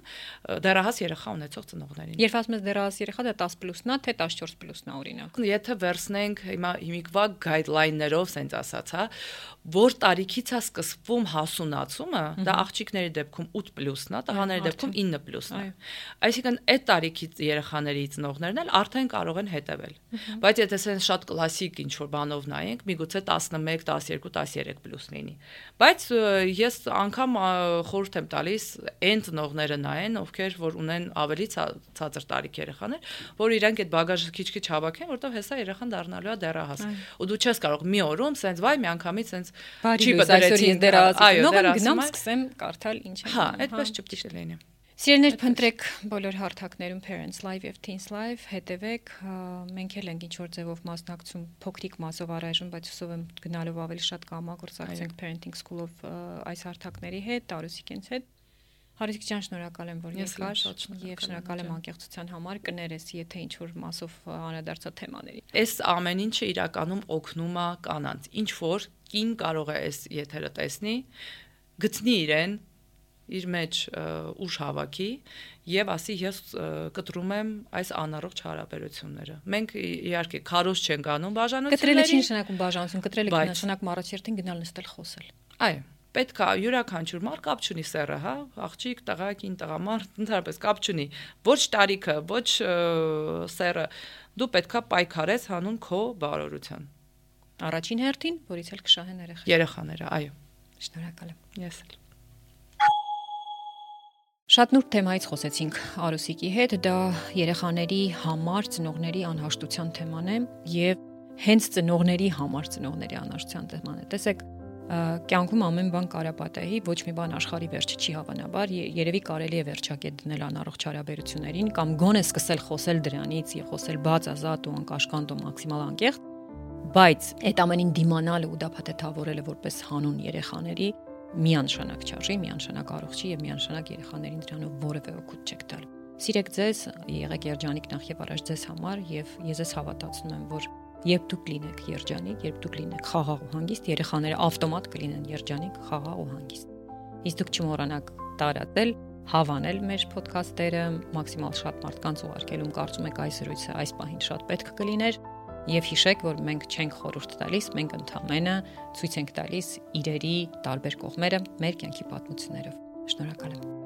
դերահաս երեխա ունեցող ծնողներին։ Երբ ասում ես դերահաս երեխա, դա 10+-ն է, թե 14+-ն է օրինակ։ Եթե վերցնենք հիմիկվա գայդլայններով սենց ասած, հա, որ տարիքից է սկսվում հասունացումը, դա աղջիկների դեպքում 8+-ն է, տղաների դեպքում 9+-ն է։ Այսինքն այդ տարիքից երեխաների ծնողներն էլ արդեն կարող են հետևել։ Բայց եթե սենց շատ կլասիկ ինչ որ բանով նայենք, միգուցե 11, 12, 13+ լինի։ Բայց ես անգամ խորհուրդ եմ տալիս այն ծնողները նայեն, ովքեր որ ունեն ավելի ցածր տարիք երեխաներ, որ իրանք այդ բագաժը քիչ-քիչ հավաքեն, որտեղ հեսա երեխան դառնալու է դեռահաս։ Ու դու չես կարող մի օրում սենց վայ միանգամից սենց չի բդրեցին դեռահաս։ Գնամ սկսեմ կարդալ ինչ է։ Հա, այդպես ճպտի լինի։ Սիրելիներ, փնտրեք բոլոր հարթակներում Parents Live եւ Teens Live, հետևեք, մենք էլ ենք ինչ որ ձևով մասնակցում փոքրիկ մասով առայժմ, բայց հուսով եմ գնալով ավելի շատ կհամագործակցենք Parenting School-ով այս հարթակների հետ, Արուսիկենց հետ։ Հարուսիկ ջան, շնորհակալ եմ, որ եկար եւ շնորհակալ եմ անկեղծության համար, կներես, եթե ինչ որ մասով անդրադարձա թեմաների։ Այս ամեն ինչը իրականում օգնում է կանանց։ Ինչ որ կին կարող է այս եթերը տեսնի, գտնի իրեն իր մեջ ուժ հավաքի եւ ասի ես կտրում եմ այս անառողջ հարաբերությունները։ Մենք իհարկե քարոզ չենք անում բաժանությունների։ Կտրելը չի նշանակում բաժանություն, կտրելը նշանակում առաջերտին գնալ նստել խոսել։ Այո, պետք է յուրաքանչյուր մարդ կապ չունի սեռը, հա, աղջիկ, տղա, կին, տղամարդ, ընդհանրապես կապ չունի։ Ոչ տարիքը, ոչ սեռը, դու պետք է պայքարես հանուն քո բարօրության։ Առաջին հերթին, որից էլ կշահեն երեխաները, այո։ Շնորհակալ եմ։ Ես էլ։ Շատ նուրբ թեմայից խոսեցինք Արուսիկի հետ, դա երեխաների համար ծնողների անհաշտության թեման է եւ հենց ծնողների համար ծնողների անհաշտության թեման է։ Տեսեք, կյանքում ամեն բան կարապատեի, ոչ մի բան աշխարհի վերջը չի հավանաբար, երևի կարելի է վերջակետ դնել անառողջ հարաբերություններին կամ գոնե սկսել խոսել դրանից եւ խոսել բաց, ազատ ու անկաշկանդ ու մաքսիմալ անկեղծ, բայց այդ ամենին դիմանալը ու դա փաթեթավորելը որպես հանուն երեխաների միանշանակ չարժի, միանշանակ առողջ չի եւ միանշանակ երեխաներին դրանով որևէ օգուտ չեք տալ։ Սիրեք ձեզ, եղեք երջանիկ նախ եւ առաջ ձեզ համար եւ ես ես հավատացնում եմ, որ երբ դուք լինեք երջանիկ, երբ դուք լինեք խաղաղ ու հանգիստ, երեխաները ավտոմատ կլինեն երջանիկ, խաղաղ ու հանգիստ։ Իսկ դուք չմոռանաք տարածել, հավանել մեր ոդքասթերը, մաքսիմալ շատ մարդկանց ուղարկելում կարծում եք այս զրույցը այս պահին շատ պետք կլիներ եւ հիշեք, որ մենք չենք խորհուրդ տալիս, մենք ընդհանրապես ցույց ենք տալիս իրերի տարբեր կողմերը մեր կյանքի պատմություններով։ Շնորհակալ եմ։